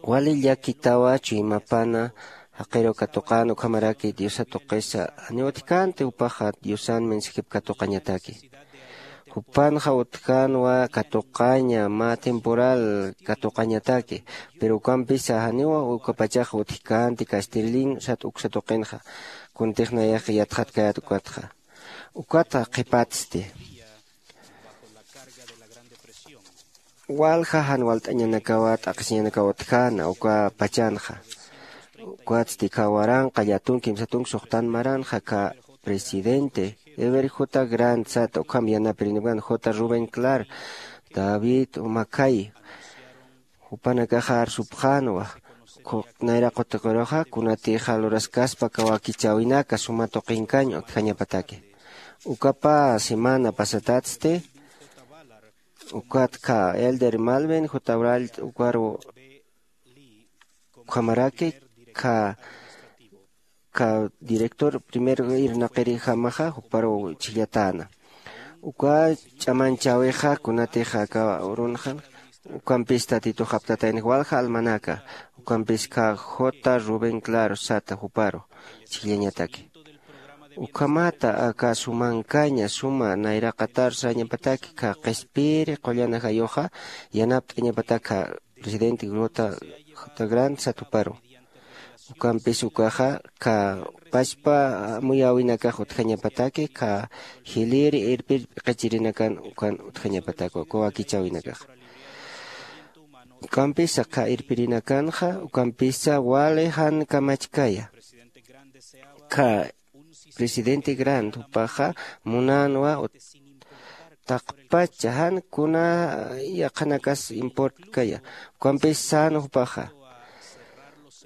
wali llakitawa chuymapana jaqiru katuqän ukhamaraki diosa tuqisa. Janiw utjkänti jupaxa diosan mensajip katuqañataki. Jupanxa utjänwa katuqaña mä temporal katuqañataki. Pero ukampisa janiw ukapachax utjkänti kastirlin sat uksa tuqinxa. Kuntix nayax yatxatkayät ukatxa. Ukatxa qhipatsti. Walja jan walt'añanakawa t'aqhisiñanakawa utjäna uka pachanxa. Ukatsti kha waranqa llatun kimsa tunk suxtan maranxa kha presidente ever j grant sat ukham yanapirinipkan j rubén clar, david umakhay. Jupanakaxa arsupxänwa nayraqutiqiruxa kunatixa luraskaspa kawakichäwinaka suma tuqinkañ utjañapataki. Ukapa semana pasatatsti ukat kha elder malvin jutabral ukaru ukhamaraki kha kha director primer irnaqirijamaxa juparu chhillatäna. Uka ch'amanchäwixa kunatixa aka urunxan ukampis tatitux aptatayna walja almanaka ukampis kha j rubén claro sata juparu chhillañataki. Ukhamata aka sumankaña suma nayraqatar sañapataki kha qhispiri qullan ajayuxa yanapt'añapatak kha presidente grota j grant sat juparu. Ukampis ukaxa kha pachpa amuyäwinakax utjañapataki kha jiliri irpir p'iqichirinakan ukan utjañapatakwa kawakichäwinakaxa. Ukampisa kha irpirinakanxa ukampisa wali jan kamachkaya kha presidente grant jupaxa munänwa taqpacha jan kuna yaqhanakas importkaya. Ukampis sän jupaxa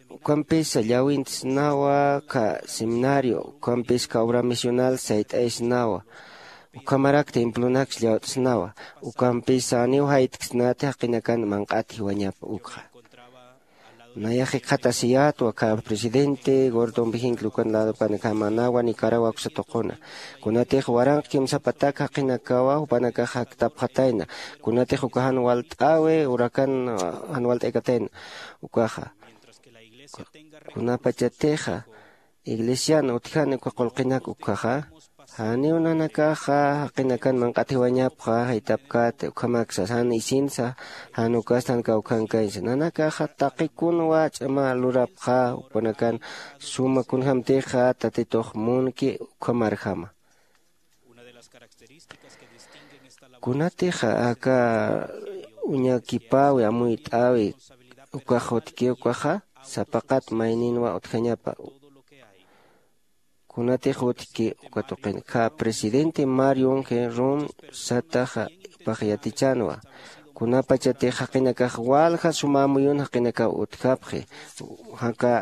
ukampisa llawintsnawa kha seminario ukampis kha obra misional sayt'aysnawa. Ukhamarak templonak llawt'snawa ukampisa janiw jayt'ksnati jaqinakan manq'at jiwañapa ukxa. Nayax jikxatasiyätwa kha presidente gordon vigincl ukan ladopanakama nawa nicaragua uksa tuquna. Kunatix waranq kimsapatak jaqinakawa jupanakax jaktapxatayna. Kunatix uka jan walt'äwi urakan jan walt'aykatayna ukaxa. Kunapachatixa iglesian utjani uka qullqinak ukkhaxa janiw nanakaxa jaqinakan manq'at jiwañapxa jaytapkäti ukhamaksa jan isinsa jan ukastan kawkhankañsa nanakaxa taqikunwa ch'ama lurapxa jupanakan suma kunjämtixa tatitux munki ukhamarjama. Kunatixa aka uñakipäwi amuyt'äwi ukax utki ukaxa sapaqat mayninwa utjañapa. Kunatix utki uka tuqin kha presidente mario unge rum sataxa pax yatichänwa. Kunapachatix jaqinakax walja suma amuyun jaqinakaw utjapxi jaka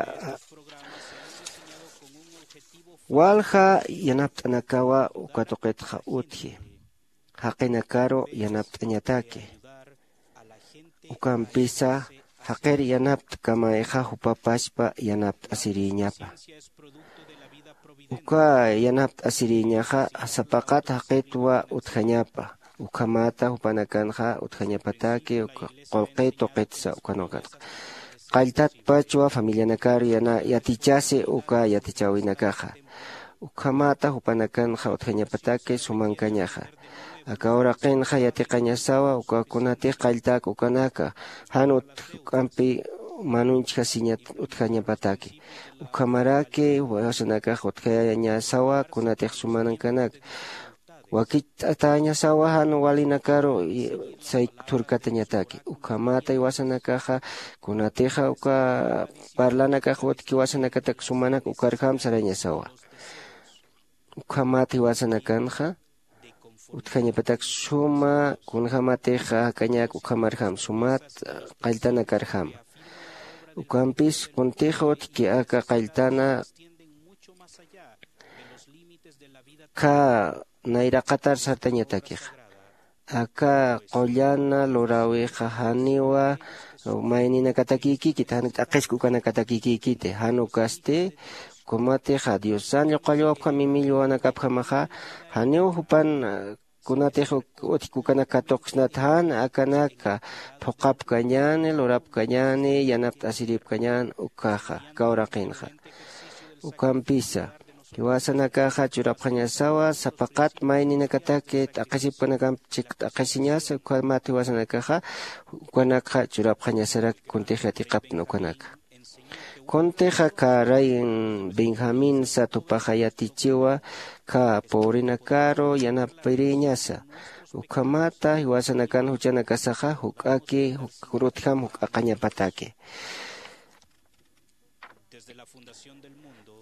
walja yanapt'anakawa uka tuqitxa utji jaqinakaru yanapt'añataki. Ukampisa jaqir yanapt'kamayxa jupapaspa yanapt'asirïñapa. Uka yanapt'asirïñaxa sapaqat jaqitwa utjañapa. Ukhamata jupanakanxa utjañapataki uka qullqi tuqitsa ukanukanxa qalltatpachwa familianakar yatichasi uka yatichäwinakaxa. Ukhamata jupanakanxa utjañapataki sumankañaxa. Aka uraqinxa yatiqañasawa uka kunatix qalltak ukanaka jan utk'ampi manunchjasiñat utjañapataki. Ukhamaraki jiwasanakax utjayañasawa kunatix sumankanak wakicht'atäñasawa jan walinakaru sayk thurkatañataki. Ukhamata jiwasanakaxa kunatixa uka parlanakax utki jiwasanakatak sumanak ukarjam sarañasawa. Ukhamat jiwasanakanxa utjañapatak suma kunjämatixa jakañak ukhamarjam sumat qalltanakarjama. Ukampis kuntix utki aka qalltana kha nayraqatar sartañatakixa. Aka qullana luräwixa janiwa mayninakatakïkïkiti, jan t'aqhisk ukanakatakïkïkiti. Jan ukasti, ukamatixa diosan lluqallwapjam imillwanakapjamaxa, janiw jupan kunatix utjki ukanak katuqksnat jan akanaka phuqhapkañäni, lurapkañäni, yanapt'asiripkañän ukkhaxa aka uraqinxa. Ukampisa, jiwasanakaxa churapxañasawa sapa qat mayninakataki t'aqhisipkanakamp chik t'aqhisiñasa, ukhamat jiwasanakaxa ukanakxa churapxañasarak kuntix yatiqaptna ukanaka. Kuntix aka rey benjamín sat jupaxa yatichiwa aka pobrenakaru yanapiriñasa. Ukhamata jiwasanakan juchanakasaxa juk'aki jurutjam juk'aqañapataki.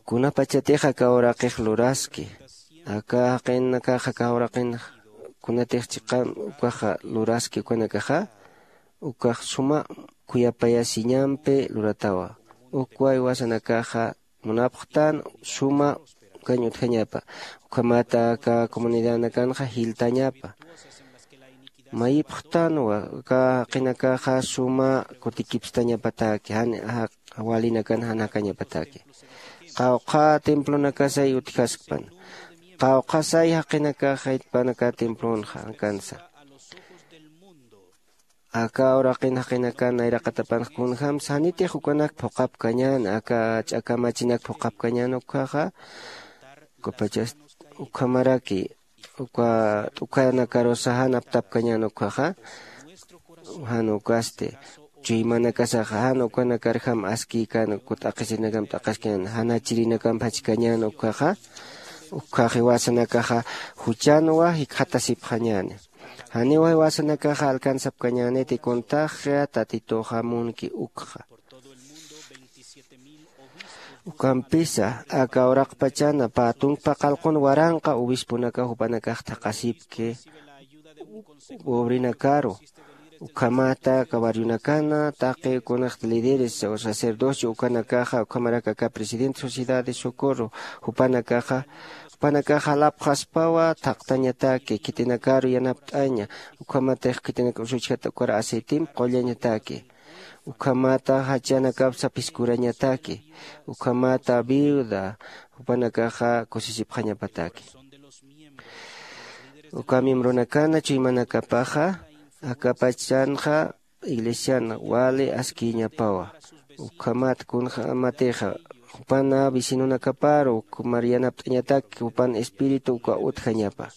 Kunapachatixa aka uraqix luraski, aka jaqinakaxa aka uraqin kunatix chiqan ukaxa luraski ukanakaxa, ukax suma khuyapayasiñampi luratawa. Ukwa jiwasanakaxa munapxtan suma ukañ utjañapa. Ukhamata aka comunidadnakanxa jiltañapa. Mayipxtanwa aka jaqinakaxa suma kutikipstañapataki jan walinakan jan jakañapataki. Qawqha templonakasay utjaskpan. Qawqhasay jaqinakaxay panaka templonxa akansa. Aka uraqin jaqinakan nayraqatapanx kunjämsa janitix ukanak phuqhapkañän aka ch'akamachinak phuqhapkañän ukkhaxa. Ukapachas ukhamaraki uka t'ukhanakarusa jan aptapkañän ukkhaxa. Jan ukasti chuymanakasaxa jan ukanakarjam askïkan uka t'aqhisirinakam t'aqhaskañän jan achirinakamp jachkañän ukkhaxa. Ukkhax jiwasanakaxa juchanwa jikxatasipxañäni. Janiw jiwasanakaxa alcanzapkañäniti kuntaxa tatituxa munki ukxa. Ukampisa aka uraqpachana pä tunkpa qalqun waranqa obisponakax jupanakax thaqhasipki pobrenakaru. Ukhamata aka barrionakana taqi kunixta líderes o sacerdocio ukanakaxa ukhamarak aka presidente sociedad de socorro jupanakaxa jupanakaxa lapxaspawa thaqtañataki khitinakaru yanapt'aña. Ukhamatix khitinak usuchjat ukar aceitemp qullañataki. Ukhamata jachanakapsa phiskurañataki. Ukhamata viuda jupanakaxa kusisipxañapataki. Uka miembronakana chuymanakapaxa akapachanxa iglesian wali askïñapawa. Ukhamat kunjämatixa jupana vecinonakaparu ukhumar yanapt'añatak jupan espíritu uka utjañapa.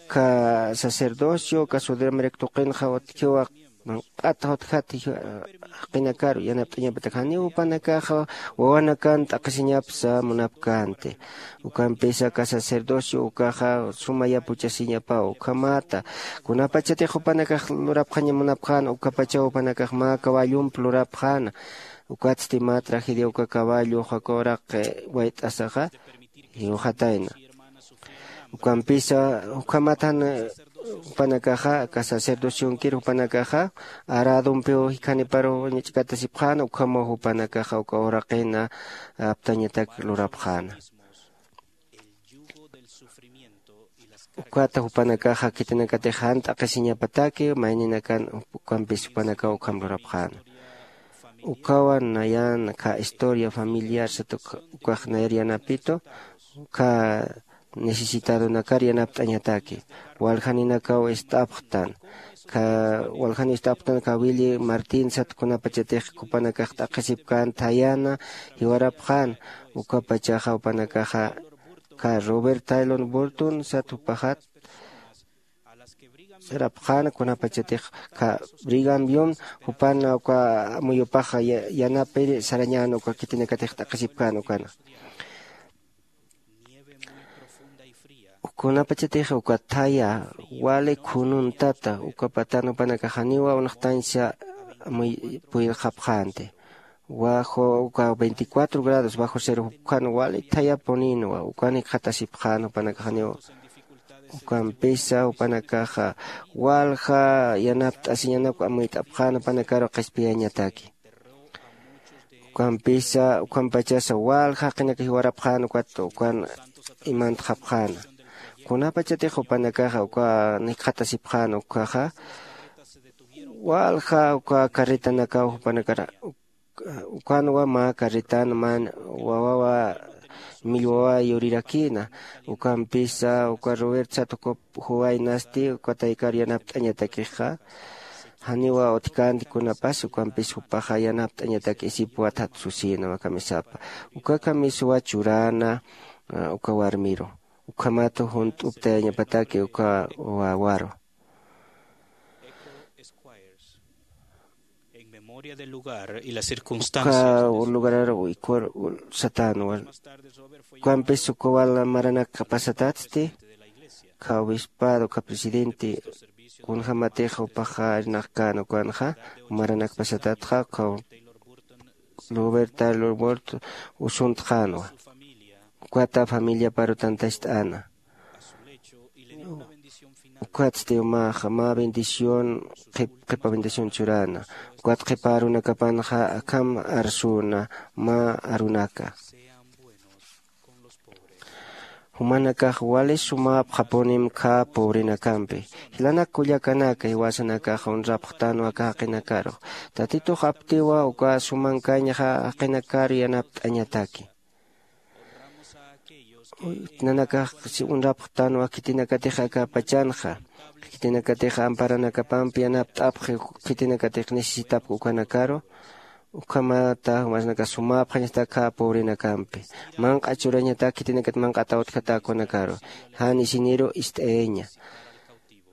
Aka sacerdocio aka sudameric tuqinxa utjiwa manq'at jutjat jaqinakaru yanapt'añapatak janiw jupanakaxa wawanakan t'aqhisiñapsa munapkänti. Ukampisa aka sacerdocio ukaxa suma yapuchasiñapaw ukhamata kunapachatix jupanakax lurapxaña munapxäna ukapachaw jupanakax mä caballomp lurapxäna. Ukatsti mä tragedia uka caballux aka uraq wayt'asaxa jiwxatayna. Ukampisa ukhamat jan jupanakaxa aka sacerdocionkir jupanakaxa aradompiw jikhaniparu ñach'katasipxäna ukhamaw jupanakaxa uka uraqina aptañatak lurapxäna. Ukata jupanakaxa khitinakatix jan t'aqhisiñapataki mayninakan ukampis jupanakaw ukham lurapxäna. Ukawan nayan aka historia familiar sat ukax nayar yanapitu aka necesitadonakar yanapt'añataki. Waljaninakaw ist'apxtan aka waljan ist'apxtan aka willi martin sat kunapachatix jupanakax t'aqhisipkän thayana jiwarapxän. Ukapachaxa jupanakaxa aka robert taylor burton sat jupaxat sarapxäna kunapachatix aka brigam yum jupan uka amuyupax yanapir sarañän uka khitinakatix t'aqhisipkän ukana. Kunapachatix uka thaya wali khunun tata uka patan jupanakax janiwa unxtañsa amuypuyxapxänti. Bajo uka veinticuatro grados bajo cero jupkhan wali thayapuninwa ukan jikxatasipxän jupanakax janiw. Ukampisa jupanakaxa walja yanapt'asiñanak amuyt'apxän jupanakaru qhispiyañataki. Ukampisa ukampachasa walja jaqinaka jiwarapxän ukat ukan imantxapxäna. Kunapachatix jupanakaxa uka nikxatasipxän ukkhaxa, walja uka carretanakaw jupanakar ukanwa mä carretan mä wawawa millwawa yurirakïna. Ukampisa uka Robert sat juwaynasti uka taykar yanapt'añatakixa, janiwa utjkänti kunapas ukampis jupaxa yanapt'añatak isipwat jat susïna mä kamisapa. Uka kamiswa churäna uka warmiru, ukhamat junt'uptayañapataki uka wawaru. En memoria del lugar y las circunstancias. Uka lugararaw uykhuwar satänwa. Ukampis uka wal maranak pasatatsti, uka obispado uka presidente kunjämatix jupaxa irnaqkän ukanxa maranak pasatatxa uka Robert Taylor Burton usuntxänwa. Ukata familiaparu tantacht'äna. Ukatsti umaxa mä bendición qhip qhipa bendición churäna. Ukat qhipa arunakapanxa akham arsüna mä arunaka. Jumanakax wali sumäpxapunim khä pobrinakampi. Jilanak kullakanaka, jiwasanakax unrapxtanwa aka jaqinakarux. Tatitux aptiwa uka sumankañxa jaqinakar yanapt'añataki. Nanakax unrapxtanwa khitinakatix aka pachanxa, khitinakatix amparanakapampi yanapt'apxi, khitinakatix necesitapxi ukanakaru. Ukhamata jumasnaka sumäpxañatak khä pobrinakampi. Manq'a churañatak khitinakat manq'ataw utjata ukanakaru. Jan isiniru ist'ayaña.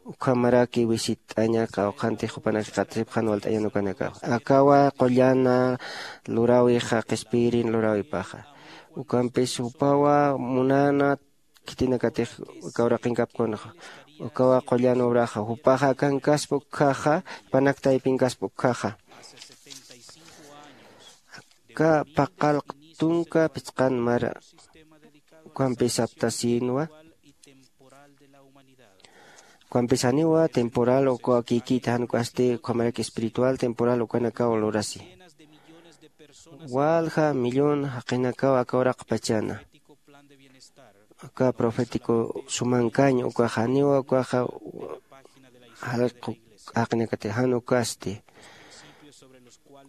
Ukhamaraki visit'aña qawqhantix jupanakax qatasipxän walt'añan ukanakaw. Akawa qullana luräwixa qhispiyirin luräwipaxa. Ukampis jupawa munäna khitinakatix aka uraqinkapkunxa. Ukawa qullan obraxa. Jupaxa akankaspa ukkhaxa, jupanak taypinkaspa ukkhaxa. Aka paqallq tunka phisqan mara ukampis aptasïnwa. Ukampis janiwa temporal uka kikïta jan ukasti, ukhamarak espiritual temporal ukanakaw lurasi. Walja millón jaqinakaw aka uraqpachana. Aka profético sumankañ ukax janiwa ukaxa jalqu jaqinakati jan ukasti.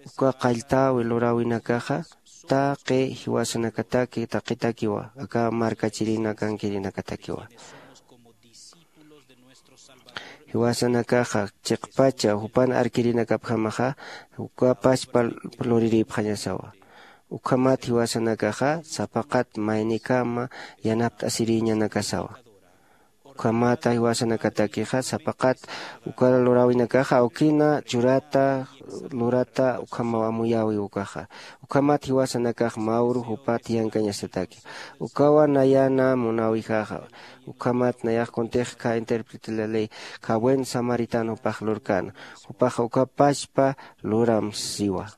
Uka qalltäwi luräwinakaxa taqi jiwasanakataki taqitakiwa, aka markachirinakankirinakatakiwa. Jiwasanakaxa chiqpacha jupan arkirinakapjamaxa uka pachpa lurirïpxañasawa. Ukhamat jiwasanakaxa sapaqat maynikama yanapt'asirïñanakasawa. Ukhamata jiwasanakatakixa sapaqat uka luräwinakaxa awkina churata lurata ukhamaw amuyäwi ukaxa. Ukhamat jiwasanakax mä uru jupa thiyankañasataki. Ukawa nayana munäwijaxa. Ukhamat nayax kuntix khä intérprete de la ley, khä buen samaritano jupax lurkäna. Jupaxa uka pachpa luram siwa.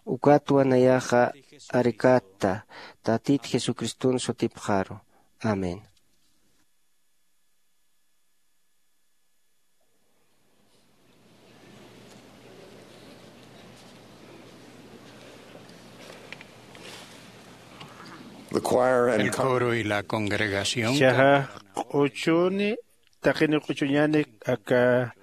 Ukatwa nayaxa arkatta Tatit Jesucriston sutipxaru. Amén. The choir and El coro y la congregación. Chaja q'uchuni, taqini q'uchuñani aka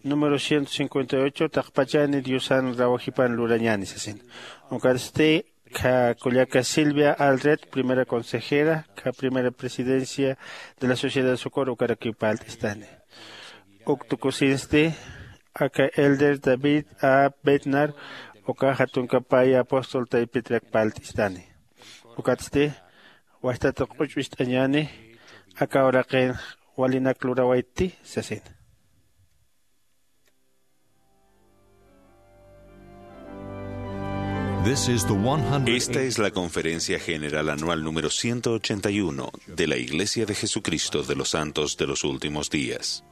número ciento cincuenta y ocho, taqpachani Diosan rawajipan lurañani sasin. Ukatsti, kha kullaka Silvia Aldred, primera consejera, kha primera presidencia de la Sociedad de Socorro, ukarakiw parlt'istani. Uk tukusinsti, aka elder David A. Bednar, uka jatunkapaya apóstol taypitrak parlt'istani. Ukatsti, wajtat q'uch'u ist'añani, aka uraqin walinak lurawaytti sasin. This is the one hundred. Esta es la Conferencia General Anual número ciento ochenta y uno de la Iglesia de Jesucristo de los Santos de los Últimos Días.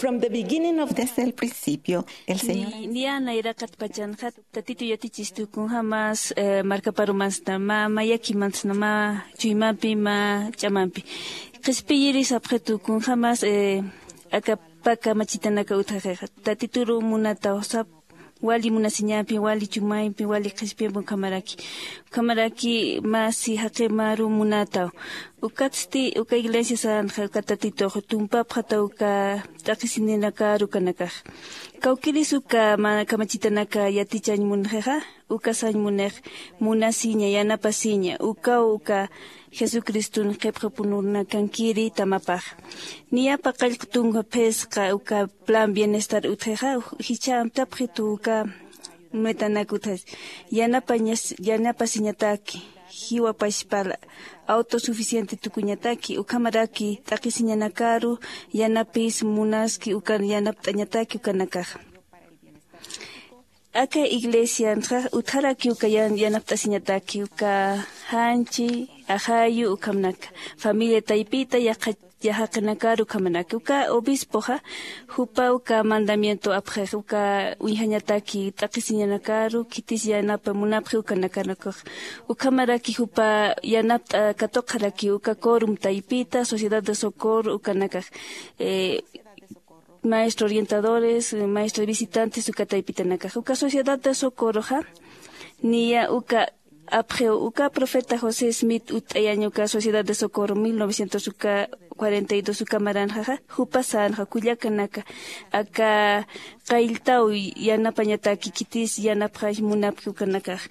From the beginning of the... Desde el principio, el Señor... Ni, niya nayraqat pachanxa Tatitu yatichistu kunjämas, eh, markaparumansna mä, mä yakimansna mä chuymampi, mä ch'amampi. Qhispiyiri sapxitu kunjämas, eh, aka pä kamachitanaka utjaxixa. Tatituru munataw sap wali munasiñampi, wali chumayampi, wali qhispiyampi ukhamaraki. Ukhamaraki mä si jaqi maru munataw. Ukatsti uka iglesia sänxa uka Tatitux tumpapxataw uka t'aqhisininakaru ukanakax. Kawkïris uka mä kamachitanaka yatichañ munxixa, uka sañ munix munasiña, yanapasiña, ukaw uka Jesucriston qhipxapununakankiri tamapax. Niyapa qallq tunka phisqa uka plan bienestar utxixa, jichha amtapxitu uka metanak utjasi. Yanapañas-, yanapasiñataki, jiwa pachpala, autosuficiente tukuñataki, ukhamaraki t'aqhisiñanakaru yanapis munaski, uka yanapt'añataki ukanakaxa. Aka iglesianxa utjaraki uka yan-, yanapt'asiñataki, uka janchi, ajayu, ukhamnaka, familia taypita, yaqha-, yaqhaqinakaru ukhamanaka. Uka obispoxa, jupa uka mandamiento apxix, uka uñjañataki, t'aqhisiñanakaru, khitis yanapa munapxi ukanakanakuxa. Ukhamaraki jupa yanapt'a katuqxaraki, uka quórum taypita, sociedad de socorro, ukanakax. Eh, maestro orientadores, eh, maestro visitantes, uka taypitanakax. Uka sociedad de socorroxa, niya uka apxiw, uka profeta José Smith utt'ayañ uka sociedad de socorro mil novecientos uka cuarenta y dos uka maranxaxa, jupa sänxa, kullakanaka, aka qalltaw yanapañataki, khitis yanapxañ munapxi ukanakax.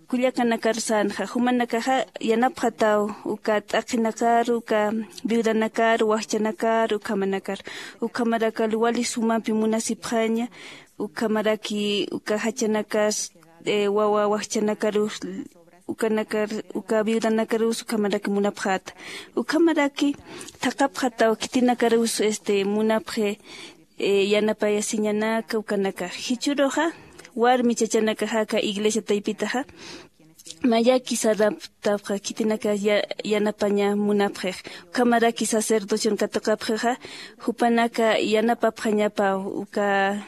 Kullakanakar sänxa, jumanakaxa yanapxataw, uka t'aqhinakaru, uka viudanakaru, wajchanakaru, ukhamanakar. Ukhamarakalu wali sumampi munasipxaña, ukhamaraki, uka jachanakas, eh, wawa wajchanakarus, ukanakar, uka viudanakarus, ukhamaraki munapxäta. Ukhamaraki, thaqhapxataw, khitinakarus, este, munapxi, eh, yanapayasiñanaka ukanakax. Jichhüruxa, warmi chachanakaxa aka iglesia taypitaxa, mayaki saraptapxa, khitinaka ya-, yanapaña munapxix. Ukhamaraki sacerdocion katuqapxixa, jupanaka yanapapxañapaw, uka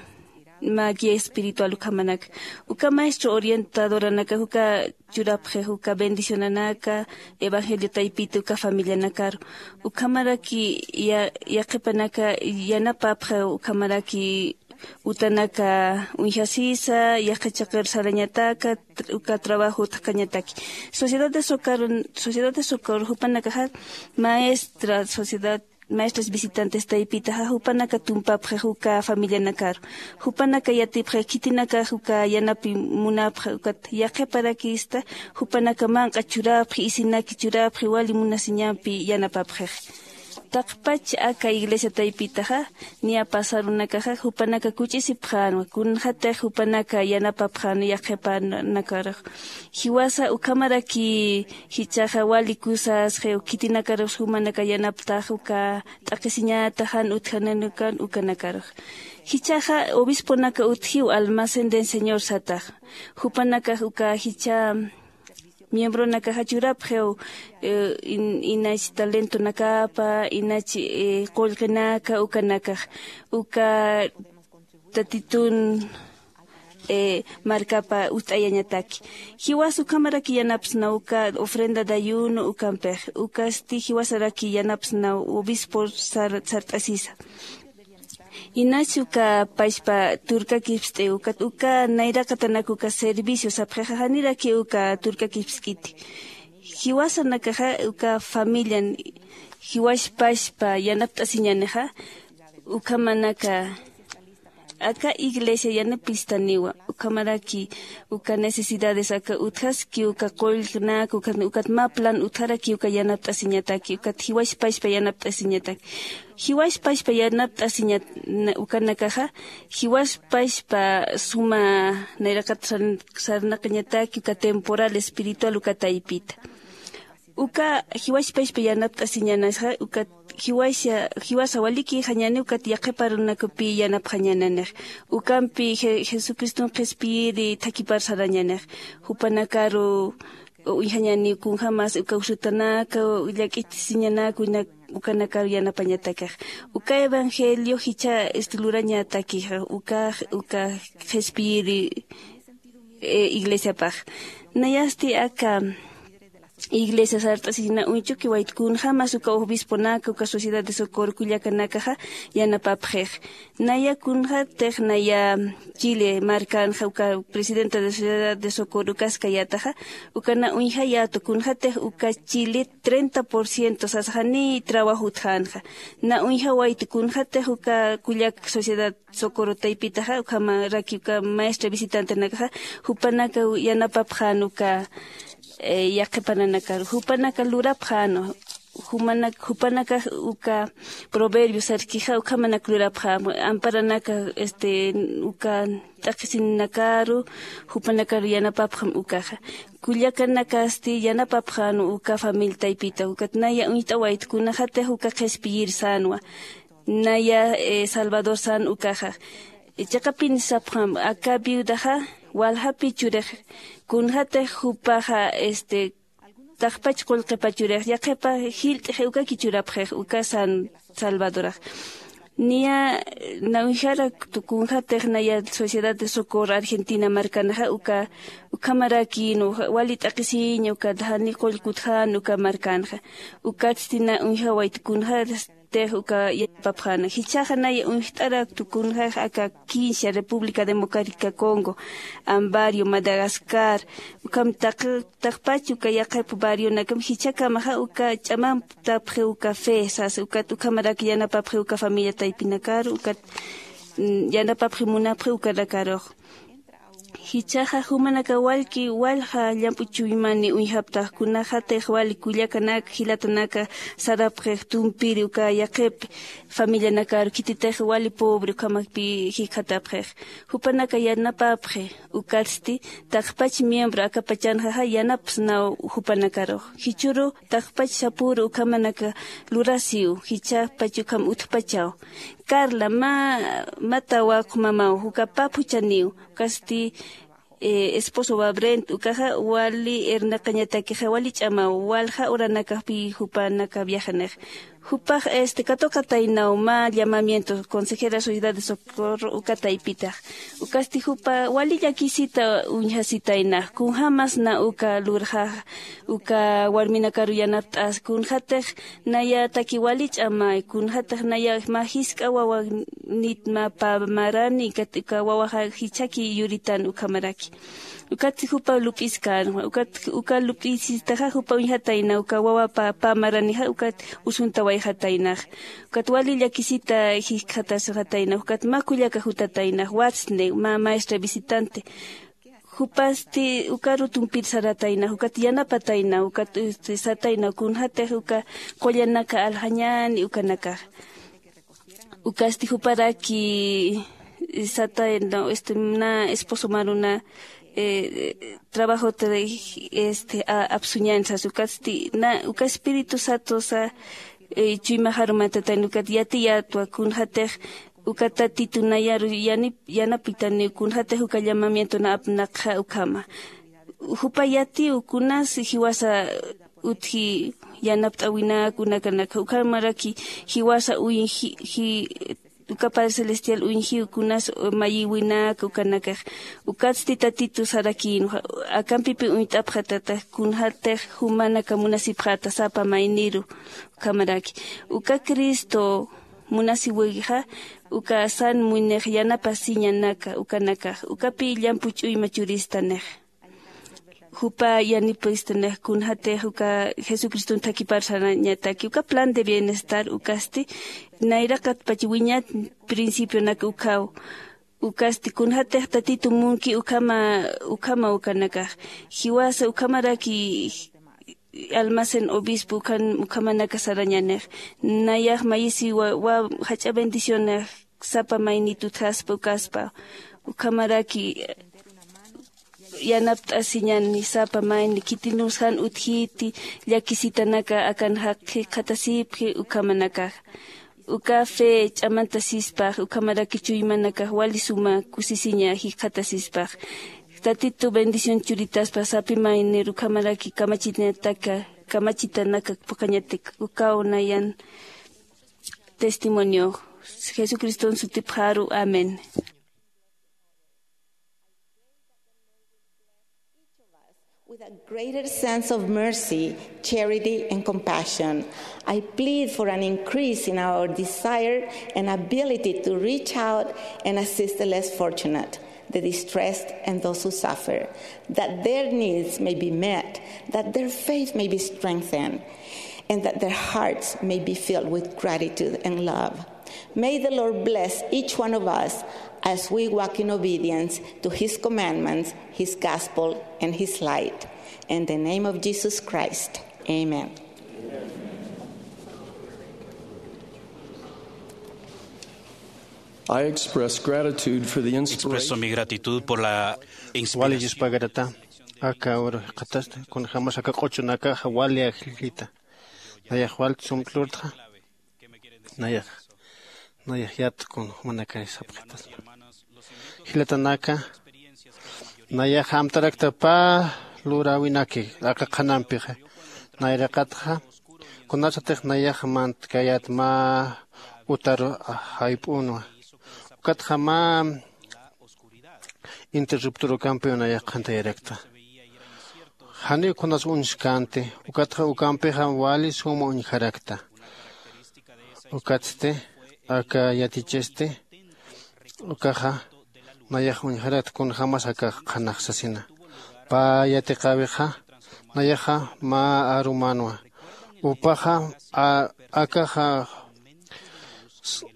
mä guía espiritual ukhamanaka. Uka maestro orientadoranaka, uka churapxix, uka bendicionanaka, evangelio taypita, uka familianakaru. Ukhamaraki ya-, yaqhipanaka yanapapxi, ukhamaraki utanaka uñjasisa, yaqha chiqir sarañataka, tr-, uka trabajo utjkañataki. Sociedad de Socorro, Sociedad de Socorro, jupanakaxa maestra, sociedad, maestras visitantes taypitaxa, jupanaka tumpapxix uka familianakaru. Jupanaka yatipxix khitinakax uka yanapi munapxi, ukat yaqhiparakista, jupanaka manq'a churapxi, isinaki churapxi, wali munasiñampi yanapapxix. Taqpach aka iglesia taypitaxa, niya pasarunakaxa, jupanaka kuch'isipxänwa, kunxatix jupanaka yanapapxänwa yaqhipanakaru. Jiwasa ukhamaraki jichhaxa wali kusas, khiw khitinakarus jumanaka yanaptax uka t'aqhisiñata jan utjananukan ukanakarux. Jichhaxa obisponaka utjiw almacén del Señor satax. Jupanakax uka jichha miembronakaxa churapxiw, eh, in-, inach talentonakapa, inach, eh, qullqinaka ukanakax, uka Tatitun, eh, markapa utt'ayañataki. Jiwas ukhamaraki yanapsna uka ofrenda de ayuno ukampix, ukasti jiwasaraki yanapsna obispo sar-, sart'asisa. Inach uka pachpa turkakipst'i, uka, uka nayraqatanak uka servicio sapxixa, janiraki uka turkakipsk'iti. Jiwasanakaxa uka familian jiwaspachpa yanapt'asiñänixa, ukhamanaka aka iglesia yanapistaniwa, ukhamaraki uka necesidades aka utjaski, uka qullqnak, uka, ukat mä plan utjaraki uka yanapt'asiñataki, ukat jiwaspachpa yanapt'asiñataki. Jiwaspachpa yanapt'asiña-, na-, ukanakaxa, jiwaspachpa suma nayraqat sar-, sarnaqañataki uka temporal espiritual uka taypita. Uka jiwaspachpa yanapt'asiñanasxa, ukat jiwasa, jiwasa walikïxañäni, ukat yaqhiparunakupi yanapxañänanix. Ukampi Je-, Jesucriston qhispiyiri thakipar sarañänix. Jupanakaru uñjañäni kunjämas uka usutanaka, llak'itisiñanaka, winak ukanakaru yanapañatakax. Uka evangelio jichha este lurañatakixa ukax uka qhispiyiri iglesiapax. Nayasti aka iglesia sart'asina uñchuki waytkunxamas uka obisponaka uka sociedad de socorro kullakanakaxa yanapapxix. Naya kunxatix naya chile markanxa uka presidenta de sociedad de socorro ukaskayataxa. Ukana uñjayatu kunxatix uka chile treinta por ciento sasxani trabajo utxanxa. Na uñjawaytu kunxatix uka kullak sociedad socorro taypitaxa ukhamaraki uka maestra visitantenakaxa jupanaka yanapapxan uka yaqhipananakaru jupanaka lurapxan. Jupanakax uka proverbio sarkixa ukhamanak lurapxam amparanaka este uka t'aqhisinakaru jupanakaru yanapapxam ukaxa. Kullakanakasti yanapapxan uka familia taypita ukat naya uñt'awayt kunaxatix uka qhispiyir sänwa. Naya salvador sän ukaxa. Chiqapin sapxam aka viudaxa waljapi churix kunxatix jupaxa este taqpach qullqipa churix yaqhipa jilt'ixi ukaki churapxix uka san salvadorax. Niya na uñjarak tukunxatix naya sociedad de socorro argentina markanaxa uka ukhamarakïnwa wali t'aqhisiña ukat jani qullkutxän uka markänxa. Ukatsti na uñjawayt kunxatix uka yanapapxäna jichhaxa naya uñjt'arak tukunxax aka quince república democrática congo, ambario madagascar, ukham taqpach uka yaqhip barrionakam jichhakamaxa uka ch'amamptapxi uka fe sasa ukat ukhamarak yanapapxi uka familia taypinakaru ukat yanapapxi munapxi ukanakarux. Jichhaxa jumanaka wallki wallja llamp'u chuymani uñjaptax kunaxatix wali kullakanak jilatanaka sarapxix tumpiri uka yaqhip familianakaru khititix wali pobre ukhamakpi jikxatapxix. Jupanaka yanapapxi ukatsti taqpach miembro akapachanxaxa yanapsnaw jupanakarux jichhüru taqpach sapüru ukhamanaka lurasiw jichhapach ukham utjpachaw. Carla mä mä tawaqu mamaw uka pap juchaniw. Ukasti esposo wabrent ukaxa wali irnaqañatakixa wali ch'amaw walja uranakajpi jupanaka viajanix. Jupax este katuqataynaw mä llamamiento consejera sociedad de socorro uka taypitax. Ukasti jupa wali llakisita uñjasitaynax kunjämas na uka lurxax uka warminakaru yanapt'as kunxatix naya taki wali ch'amay kunxatix naya mä jisk'a wawanit mä pä marani ukat uka wawaxa jichhaki yuritan ukhamaraki. Ukatsti jupa lup'iskän ukat uka lup'isistaxa jupa uñjatayna uka wawapa pä maranixa ukat usuntawayxataynax. Ukat wali llakisita jikxatasxataynax ukat mä kullaka jutataynax watsni mä maestra visitante. Jupasti ukaru tumpir saratayna ukat yanapatayna ukat satayna kunxatix uka qullanaka aljañani ukanakax. Ukasti juparaki satayna este na esposo maruna trabajot este apsuñani sas ukatsti na uka espíritu satusa chuymaxarumatatayna ukat yatiyatwa kunxatix uka tatitu nayaru yanapitaniw kunxatix uka llamamiento na apnaqxa ukhama. Jupa yatiw kunas jiwasa utji yanapt'äwinak unakanakxa ukhamaraki jiwasa uñji uka padre celestial uñjiw kunas mayïwinak ukanakax. Ukatsti tatitu sarakïnwa akampipi uñt'apxatatax kunxatix jumanaka munasipxäta sapa mayniru. Ukhamaraki uka cristo munasiwixa uka san muynix yanapasiñanaka ukanakax ukapi llamp'u ch'uyma churistanix. Jupa yanipistanix kunxatix uka jesucriston thakipar sarañataki uka plan de bienestar ukasti nayraqatpach wiñat principionak ukhaw. Ukasti kunxatix tatitu munki ukhama ukhama ukanakax jiwasa ukhamaraki almacén obispo ukhamanaka sarañanix. Nayax mayisiwa jach'a bendicionix sapa maynit utjaspa ukaspa ukhamaraki yanapt'asiñani sapa mayni khitinus jan utjiti llakisitanaka akan jikxatasipxi ukhamanakax. Uka fe ch'amantasispax ukhamaraki chuymanakax wali suma kusisiña jikxatasispax. Tatitu bendición churitaspa sapi maynir ukhamaraki kamachinataka kamachitanakak phuqhañatik ukaw nayan testimonio. Jesucriston sutipxaru, amén. With a greater sense of mercy, charity, and compassion, I plead for an increase in our desire and ability to reach out and assist the less fortunate, the distressed, and those who suffer, that their needs may be met, that their faith may be strengthened, and that their hearts may be filled with gratitude and love. May the Lord bless each one of us as we walk in obedience to his commandments, his gospel, and his light. In the name of Jesus Christ, amen. I express gratitude for the inspiration. Expreso mi gratitud por la wali inspiración. Yuspagarata aka ur qatasta kunjamas aka q'uchunakaxa wali ajllita. Nayax wal sumplurtxa. Nayax nayax yat kun jumanakay sapxitasma. Jilatanaka nayax amtarakta pä luräwinaki aka qhanampixa. Nayraqatxa kunasatix nayax mantkayät mä utar jayp'unwa. Ukatxa mä interruptor ukampiw nayax qhantayarakta. Janiw kunas uñskänti ukatxa ukampixa wali suma uñjarakta. Ukatsti aka yatichisti ukaxa nayax uñjarakta kunjämas akax qhanax sasina. Pä yatiqäwixa nayaxa mä arumänwa. Upaxa akaxa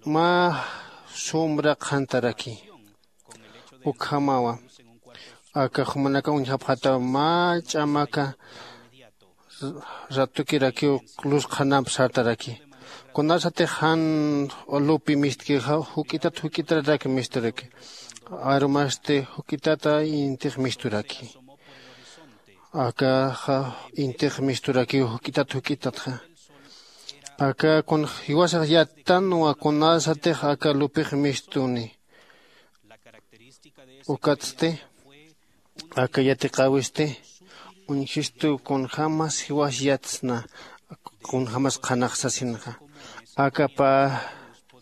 mä sumra qhantaraki. Ukhamawa aka jumanaka uñjapxataw mä ch'amaka ratukirakiw lus qhanamp sartaraki. Kunasatix jan lupi mistkixa juk'itat juk'itararaki misturaki. Arumasti juk'itata intix misturaki. Akaxa intix misturakiw juk'itat juk'itatxa. Aka kun jiwasax yattanwa kunasatix aka lupix mistuni. Ukatsti aka yatiqäwisti uñjistu kunjämas jiwas yatsna kunjämas qhanax sasinxa. Aka pä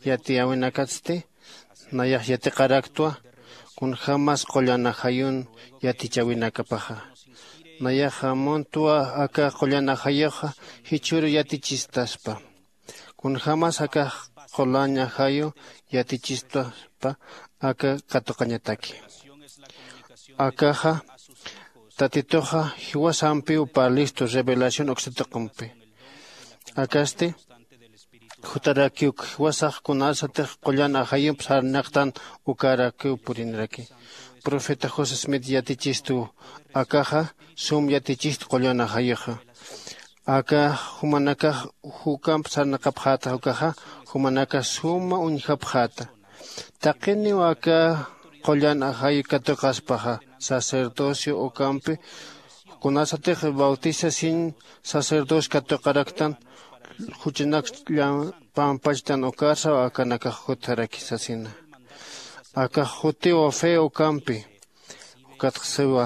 yatiyäwinakatsti nayax yatiqaraktwa kunjämas qullan ajayun yatichäwinakapaxa. Nayaxa muntwa aka qullan ajayuxa jichhüru yatichistaspa. Kunjämas aka qullan ajayu yatichistapa aka katuqañataki. Akaxa tatituxa jiwasampiw parlistu revelación uksatuqumpi. Akasti jutarakiw jiwasax kunasatix qullan ajayump sarnaqtan ukarakiw puriniraki. Profeta josé smith yatichistuw akaxa sum yatichist qullan ajayuxa. Aka jumanakax jukamp sarnaqapxätax ukaxa jumanakax suma uñjapxäta. Taqiniw aka qullan ajayu katuqaspaxa sacerdocio ukampi kunasatix bautizasiñ sacerdocio katuqaraktan juchanak pampachtan ukarsaw akanakax jutjaraki sasina. Akax jutiw fe ukampi ukatxsiwa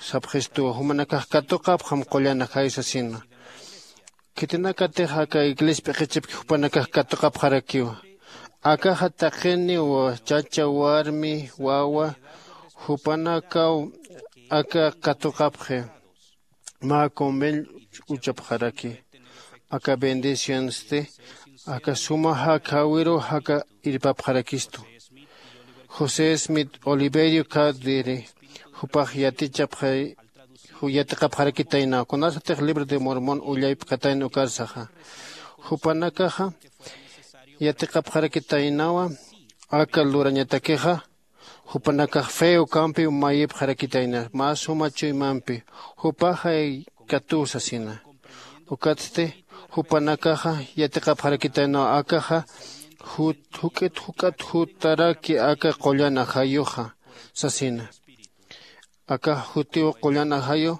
sapxistuwa jumanakax katuqapxam qullan ajayu sasina. Khitinakatix aka iglesia p'iqichipki jupanakax katuqapxarakiwa. Akaxa taqiniw chacha warmi wawa jupanakaw aka katuqapxi mä convenio uchapxaraki. Aka bendicionsti aka suma jakjawiruw jaka irpapxarakistu. José smith oliverio cardiri jupax yatichapxay yatiqapxarakitaynaw kunasatix libro de mormón ullaypkatayna ukarsaxa. Jupanakaxa yatiqapxarakitaynawa aka lurañatakixa jupanakax fe ukampi mayipxarakitayna mä suma chuymampi jupaxay katuw sasina. Ukatsti jupanakaxa yatiqapxarakitaynaw akaxa juk'it juk'at jutaraki aka qullan ajayuxa sasina. Akax jutiw qullan ajayu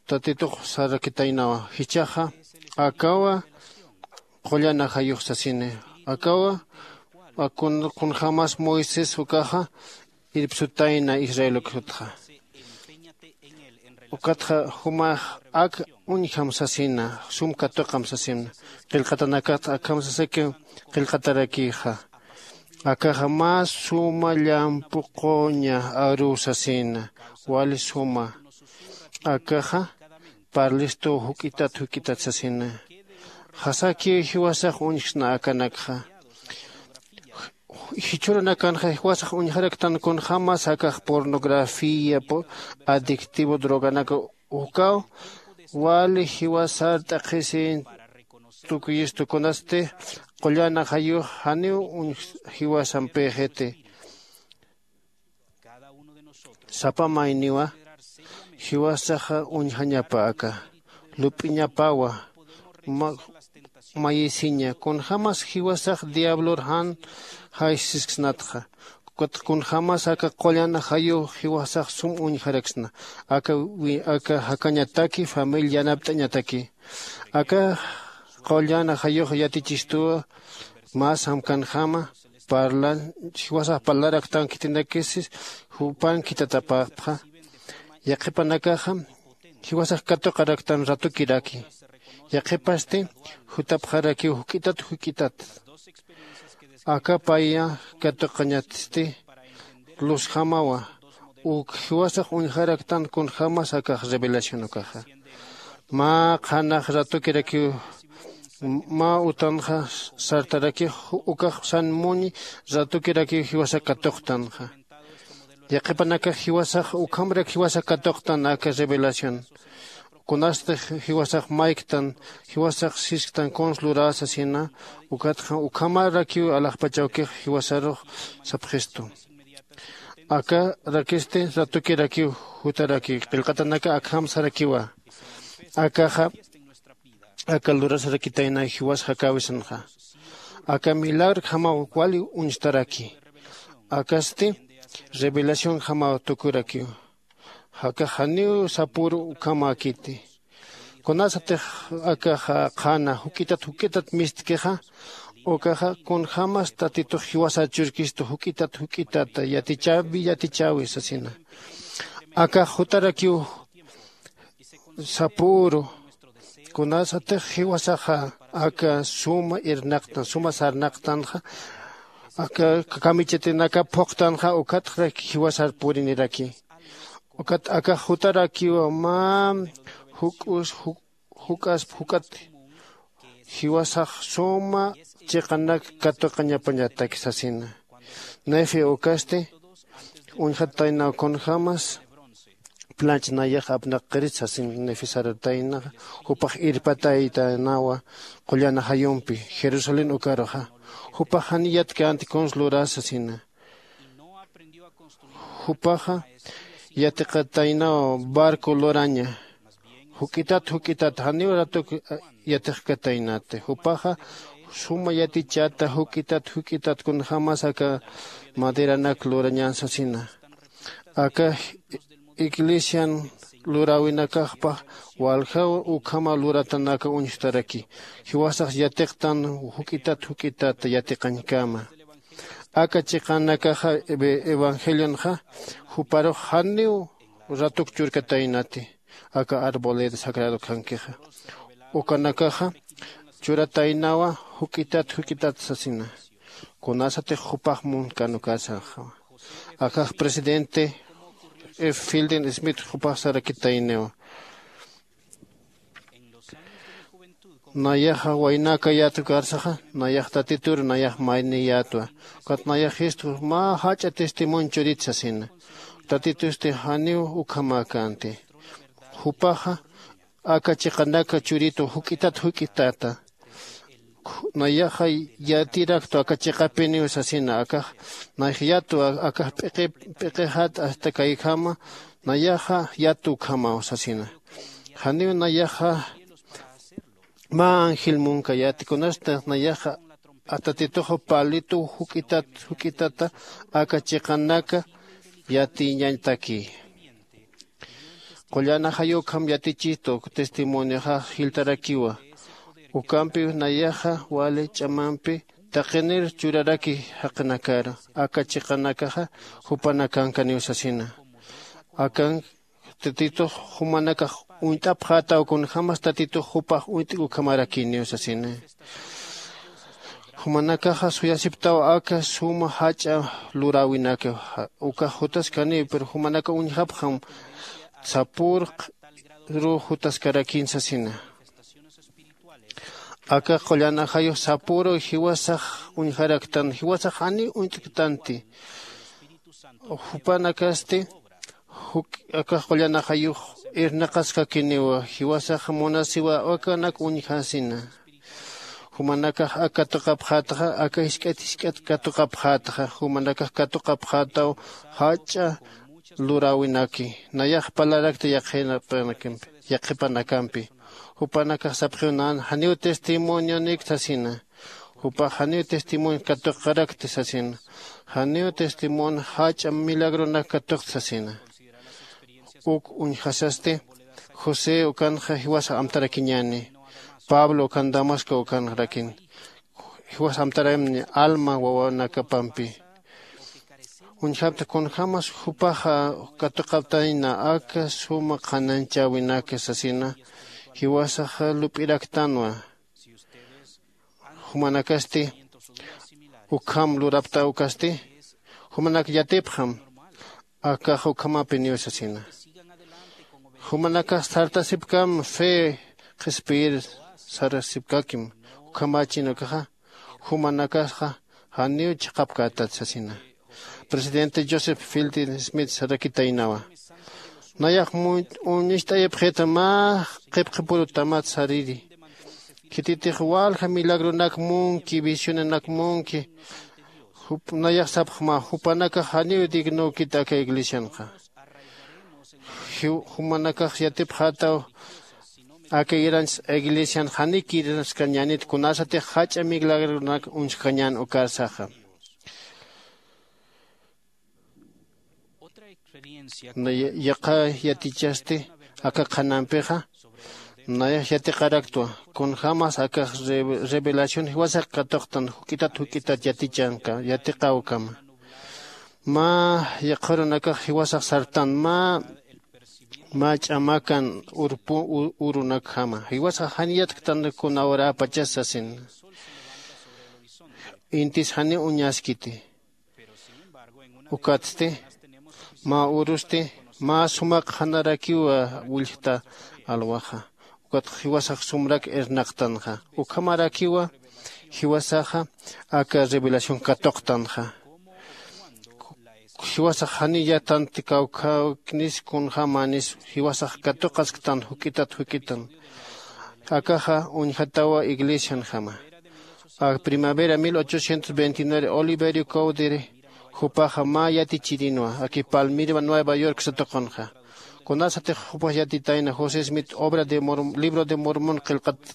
tatitux sarakitaynawa jichhaxa akawa qullan ajayux sasini. Akawa kunjämas moisés ukaxa irpsutayna israel ukatxa. Ukatxa jumax ak uñjam sasina, sum katuqam sasina. Qillqatanakatxa akham sasaki qillqatarakixa. Akaxa mä suma llampu quña aruw sasina, wali suma. Akaxa parlistuw juk'itat juk'itat sasina. Jasakiw jiwasax uñjsna akanakxa. Jichhürunakanxa jiwasax uñjaraktan kunjämas akax pornografía adictivo droganak ukaw wali jiwasar t'aqhisin. Tukuyistu kunasti qullan ajayux janiw uñj jiwasampïxiti. Sapa mayniwa jiwasaxa uñjañapa aka lup'iñapawa. Mayisiña kunjämas jiwasax diablor jan jaysisksnatxa. Kunjämas aka qullan ajayu jiwasax sum uñjaraksna. Aka jakañataki familia yanapt'añataki. Aka qullan ajayux yatichistuwa. Mä samkanjama parlan jiwasax parlaraktan khitinakisi jupan khitatapäpxa. Yaqhipanakaxa jiwasax katuqaraktan ratukiraki. Yaqhipasti jutapxarakiw juk'itat juk'itat. Aka paya katuqañatsti luzjamawa. Uk jiwasax uñjaraktan kunjämas akax revelación ukaxa. Mä qhanax ratukirakiw mä utanxa sartarakix ukax san muñi ratukirakiw jiwasak katuqtanxa. Yaqhipanakax jiwasax ukhamrak jiwasak katuqtan aka revelación. Kunasti jiwasax mayktan jiwasax sisktan kuns luräsa sina. Ukatxa ukhamarakiw alaxpachawkix jiwasarux sapxistu. Akarakisti ratukirakiw jutaraki qillqatanaka akham sarakiwa. Akaxa aka lurasarakitayna jiwas jakäwisanxa. Aka milagrjamaw wali uñstaraki. Akasti revelacionjamaw tukurakiw. Jakax janiw sapüru ukhamäkiti. Kunasatix akaxa qhana juk'itat juk'itat mistkixa ukaxa kunjämas tatitux jiwasar churkistu juk'itat juk'itat yatichäwi yatichäwi sasina. Akax jutarakiw sapüru. Kunasatix jiwasaxa aka suma irnaqtan suma sarnaqtanxa aka kamichatinaka phuqtanxa ukatxrak jiwasar puriniraki. Ukat akax jutarakiwa mä juk'us juk'asp juk'at jiwasax suma chiqanak katuqañapañatak sasina. Nefe ukasti uñjataynaw kunjämas plancha nayax apnaqqirit sasin nefe sartaynaxa. Jupax irpataytaynawa qullan ajayumpi jerusalén ukaruxa. Jupax jani yatkänti kuns luräsa sasina. Jupaxa yatiqataynaw barco luraña. Juk'itat juk'itat janiw ratuk yatiqkataynati jupaxa suma yatichata juk'itat juk'itat kunjämas aka maderanak lurañän sasina. Aka iglesian luräwinakaxpax waljaw ukhama luratanaka uñjtaraki. Jiwasax yatiqtan juk'itat juk'itat yatiqañkama. Aka chiqanakaxa evangelionxa juparux janiw ratuk churkataynati. Aka arboleda sagrado khankixa ukanakaxa churataynawa juk'itat juk'itat sasina. Kunasatix jupax munkän ukasaxa akax presidente filden smith jupax sarakitayniwa. Nayaxa waynäkayät ukarsaxa nayax tatitur nayax mayniyätwa. Ukat nayax jistu mä jach'a testimonio churit sasina. Tatitusti janiw ukhamäkänti. Jupaxa aka chiqanaka churitu juk'itat juk'itata. Nayaxa yatiraktwa aka chiqapiniw sasina akax nayax yatwa akax p'iqi p'iqixat asta kayjama. Nayaxa yatwa ukhamaw sasina. Janiw nayaxa mä angel munkayäti kunasta nayaxa atatituxa palituw juk'itat juk'itata aka chiqanaka yatiñañtaki. Qullan ajayu ukham yatichistu testimonioxax jiltarakiwa. Ukampiw nayaxa wali ch'amampi taqinir churaraki jaqinakar aka chiqanakaxa jupanakankaniw sasina. Akan tatitux jumanakax uñt'apxätaw kunjämas tatitux jupax uñt'k ukhamarakiniw sasina. Jumanakaxa suyasiptaw aka suma jach'a luräwinakaw. Ukax jutaskaniw pero jumanakax uñjapxam sapürkru jutaskarakin sasina. Aka qullan ajayux sapüru jiwasax uñjaraktan jiwasax janiw uñt'ktanti. Jupanakasti aka qullan ajayux irnaqaskakiniwa jiwasax munasiwa akanak uñjasina. Jumanakax ak katuqapxätxa aka jisk'at jisk'at katuqapxätxa jumanakax katuqapxätaw jach'a luräwinaki. Nayax parlarakta yaqhipanakampi. Jupanakax sapxiw nan janiw testimonionik sasina. Jupax janiw testimonio katuqarakti sasina. Janiw testimonio jach'a milagronak katuqti sasina. Uk uñjasasti josé ukanxa jiwasax amtarakiñäni. Pablo ukan damasco ukanrakin jiwas amtaramni alma wawanakapampi. Uñjapta kunjämas jupaxa katuqaptayna aka suma qhanañchäwinaka sasina. Jiwasaxa lup'iraktanwa. Jumanakasti ukham lurapta ukasti jumanak yatipxam. Akax ukhamapiniw sasina. Jumanakax sartasipkam fe qhispiyir sarasipkakim. Ukhamächin ukaxa jumanakaxa janiw chiqapkätat sasina. Presidente joseph fielding smith sarakitaynawa. Nayax uñist'ayipxita mä qhipqipurutamat sariri. Khititix walja milagronak munki visionanak munki. Nayax sapxma jupanakax janiw dignökit aka iglesianxa. Jumanakax yatipxätaw aka iranchs iglesian janiw kirinaskañänit kunasatix jach'a milagronak uñskañän ukarsaxa. Yaqha yatichasti aka qhanampixa nayax yatiqaraktwa. Kunjämas akax revelación jiwasax katuqtan juk'itat juk'itat yatichanka yatiqäwkama. Mä yaqharunakax jiwasax sartan mä mä ch'amakan urpu urunakjama jiwasax jan yatktan kuna urapachas sasin. Intis janiw uñaskiti. Ukatsti mä urusti mä sumaq qhanarakiwa willjta alwaxa. Ukat jiwasax sumrak irnaqtanxa ukhamarakiwa jiwasaxa aka revelación katuqtanxa. Jiwasax janiw yatanti kawkhäwknis kunjämänis jiwasax katuqasktan juk'itat juk'itan. Akaxa uñjatawa iglesianjama. Ak primavera mil ochocientos veintinueve oliverio cowdery jupaxa mä yatichirinwa aki palmira nueva york satuqunxa. Kunasatix jupax yatitayna josé smith obra de libro de mormón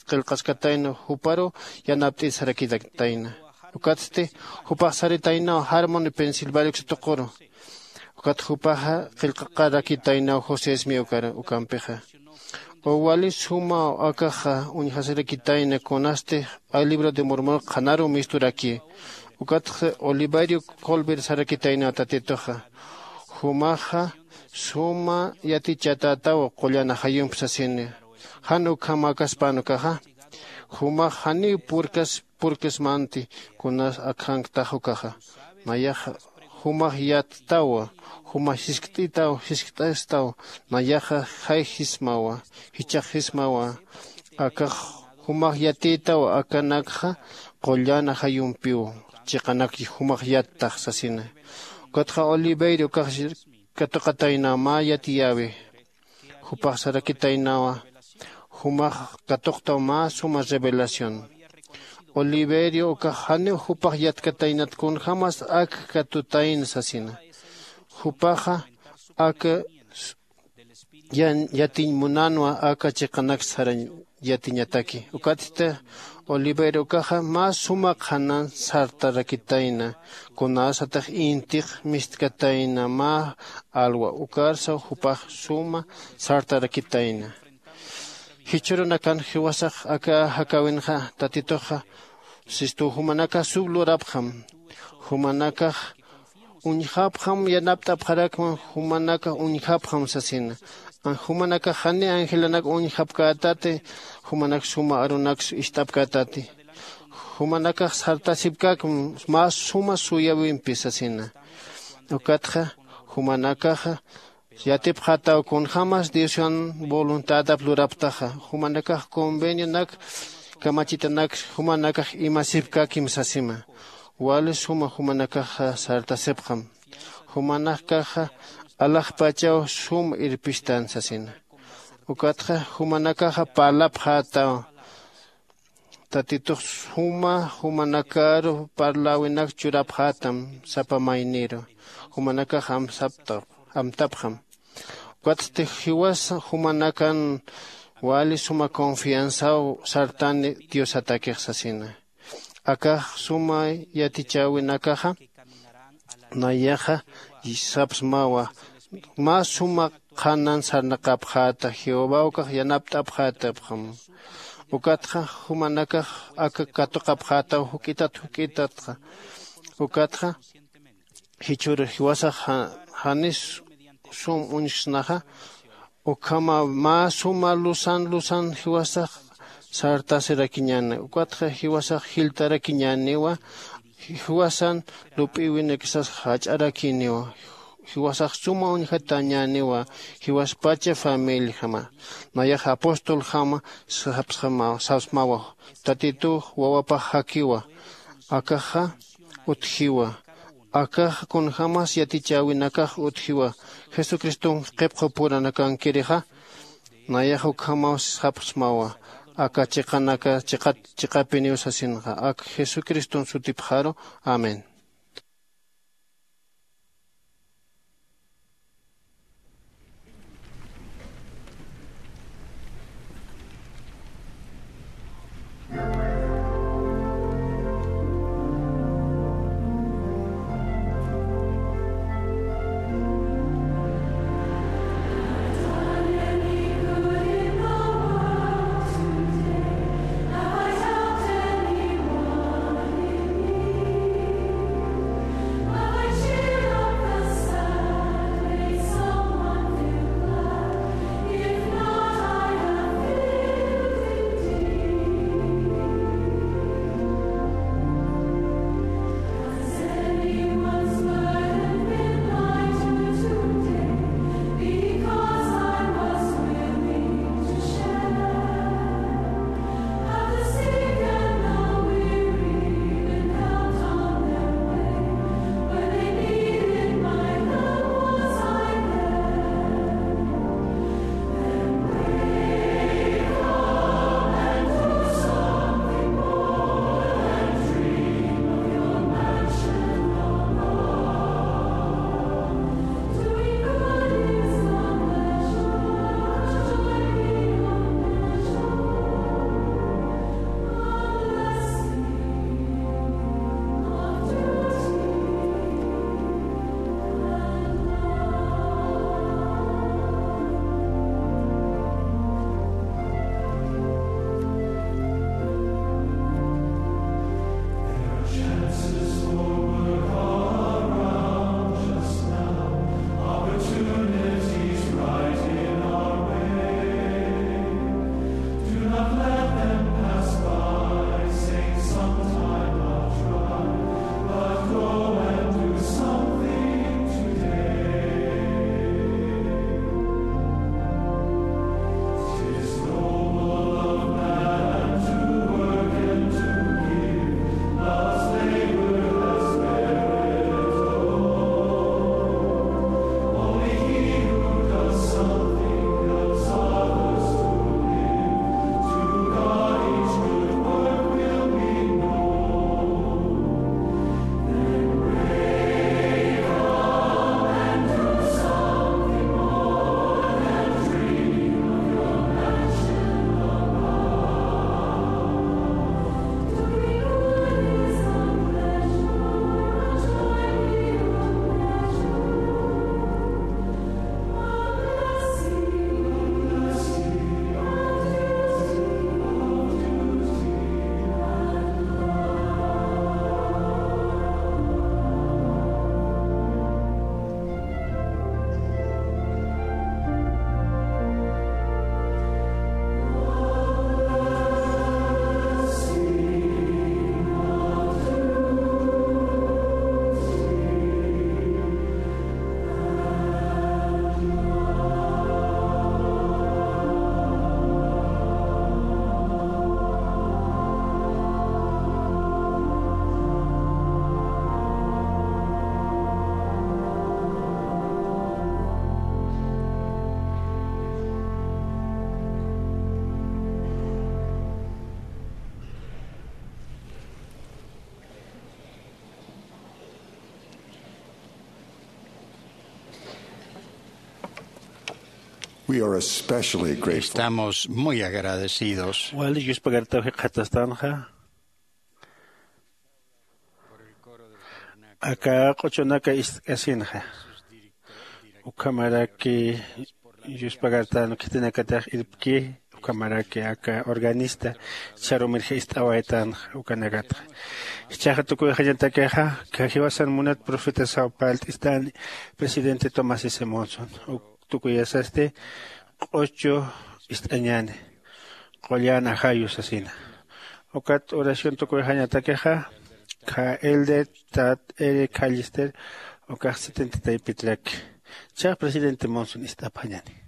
qillqaskatayna juparu yanapt'it sarakitayna. Ukatsti jupax saritaynaw harmon pensilvania uksa tuquru. Ukat jupaxa qillqaqarakitaynaw josé smith ukampixa. Uwali sumaw akaxa uñjasirakitayna kunasti libro de mormón qhanaru misturaki. Ukatxa oliverio colbert sarakitaynaw tatituxa. Jumaxa suma yatichatätaw qullan ajayump sasini. Jan ukhamäkaspan ukaxa jumax janiw purkas purkasmanti kunas akhanktax ukaxa. Nayaxa jumax yattawa. Jumax jiskt'itaw jiskt'astaw. Nayaxa jay jismawa jichhax jismawa. Akax jumax yatïtaw akanakxa qullan ajayumpiw chiqanak jumax yattax sasina. Ukatxa oliverio ukax katuqataynaw mä yatiyäwi. Jupax sarakitaynawa jumax katuqtaw mä suma revelación. Oliverio ukax janiw jupax yatkataynat kunjämas ak katutayna sasina. Jupaxa ak yatiñ munänwa aka chiqanak sarañ yatiñataki. Ukatsti oliverio ukaxa mä suma qhanan sartarakitayna kunasatix intix mistkatayna mä alwa ukarsaw jupax suma sartarakitayna. Jichhürunakan jiwasax aka jakäwinxa tatituxa sistu jumanakax sub lurapxam. Jumanakax uñjapxam yanapt'apxarakma. Jumanakax uñjapxam sasina. Jumanakax jani angelanak uñjapkätati. Jumanak suma arunaks ist'apkätati. Jumanakax sartasipkäkim mä suma suyawimpi sasina. Ukatxa jumanakaxa yatipxätaw kunjämas diosan voluntadap luraptaxa. Jumanakax convenionak kamachitanak jumanakax imasipkäkim sasima. Wali suma jumanakaxa sartasipxam. Jumanakaxa alaxpachaw sum irpistan sasina. Ukatxa jumanakaxa parlapxätaw. Tatitux suma jumanakaru parläwinak churapxätam sapa mayniru. Jumanakax amsapta amtapxam. Ukatsti jiwasa jumanakan wali suma confianzaw sartani diosatakix sasina. Akax suma yatichäwinakaxa nayaxa sapsmawa. Mä suma qhanan sarnaqapxäta jehovaw kax yanapt'apxätapxam. Ukatxa jumanakax aka katuqapxätaw juk'itat juk'itatxa. Ukatxa jichhür jiwasax janis sum uñjsnaxa. Ukhama mä suma lusan lusan jiwasax sartasirakiñäni. Ukatxa jiwasax jiltarakiñäniwa. Jiwasan lup'iwinakisas jach'arakïniwa. Jiwasax suma uñjatañäniwa. Jiwaspacha familijama nayax apostoljama sapsmawa. Tatitux wawapax jakiwa. Akaxa utjiwa. Akaxa kunjämas yatichäwinakax utjiwa. Jesucriston qhipqu puranakankirixa nayax ukhamaw sapsmawa. Aka chiqanaka chiqat chiqapiniw sasinxa ak jesucriston sutipxaru. Amén. We are especially grateful. Estamos muy agradecidos. Wali yuspagartaw jikxatastanxa. Aka q'uchunaka ist'k'asinxa. Ukhamaraki yuspagartan khitinakatix irpki, ukhamaraki aka organista charumirja ist'awaytanxa ukanakatxa. Jichhaxa tukuyxañatakixa, jiwasan munat profetasaw parlt'istani presidente Thomas S. Monson. Uk tukuyasasti q'uchu ist'añani, qullan ajayu sasina. Ukat oración tukuyxañatakixa, kha elder Tad Eric Callister, ukax setenta taypitraki. Chax presidente Monson ist'apxañani.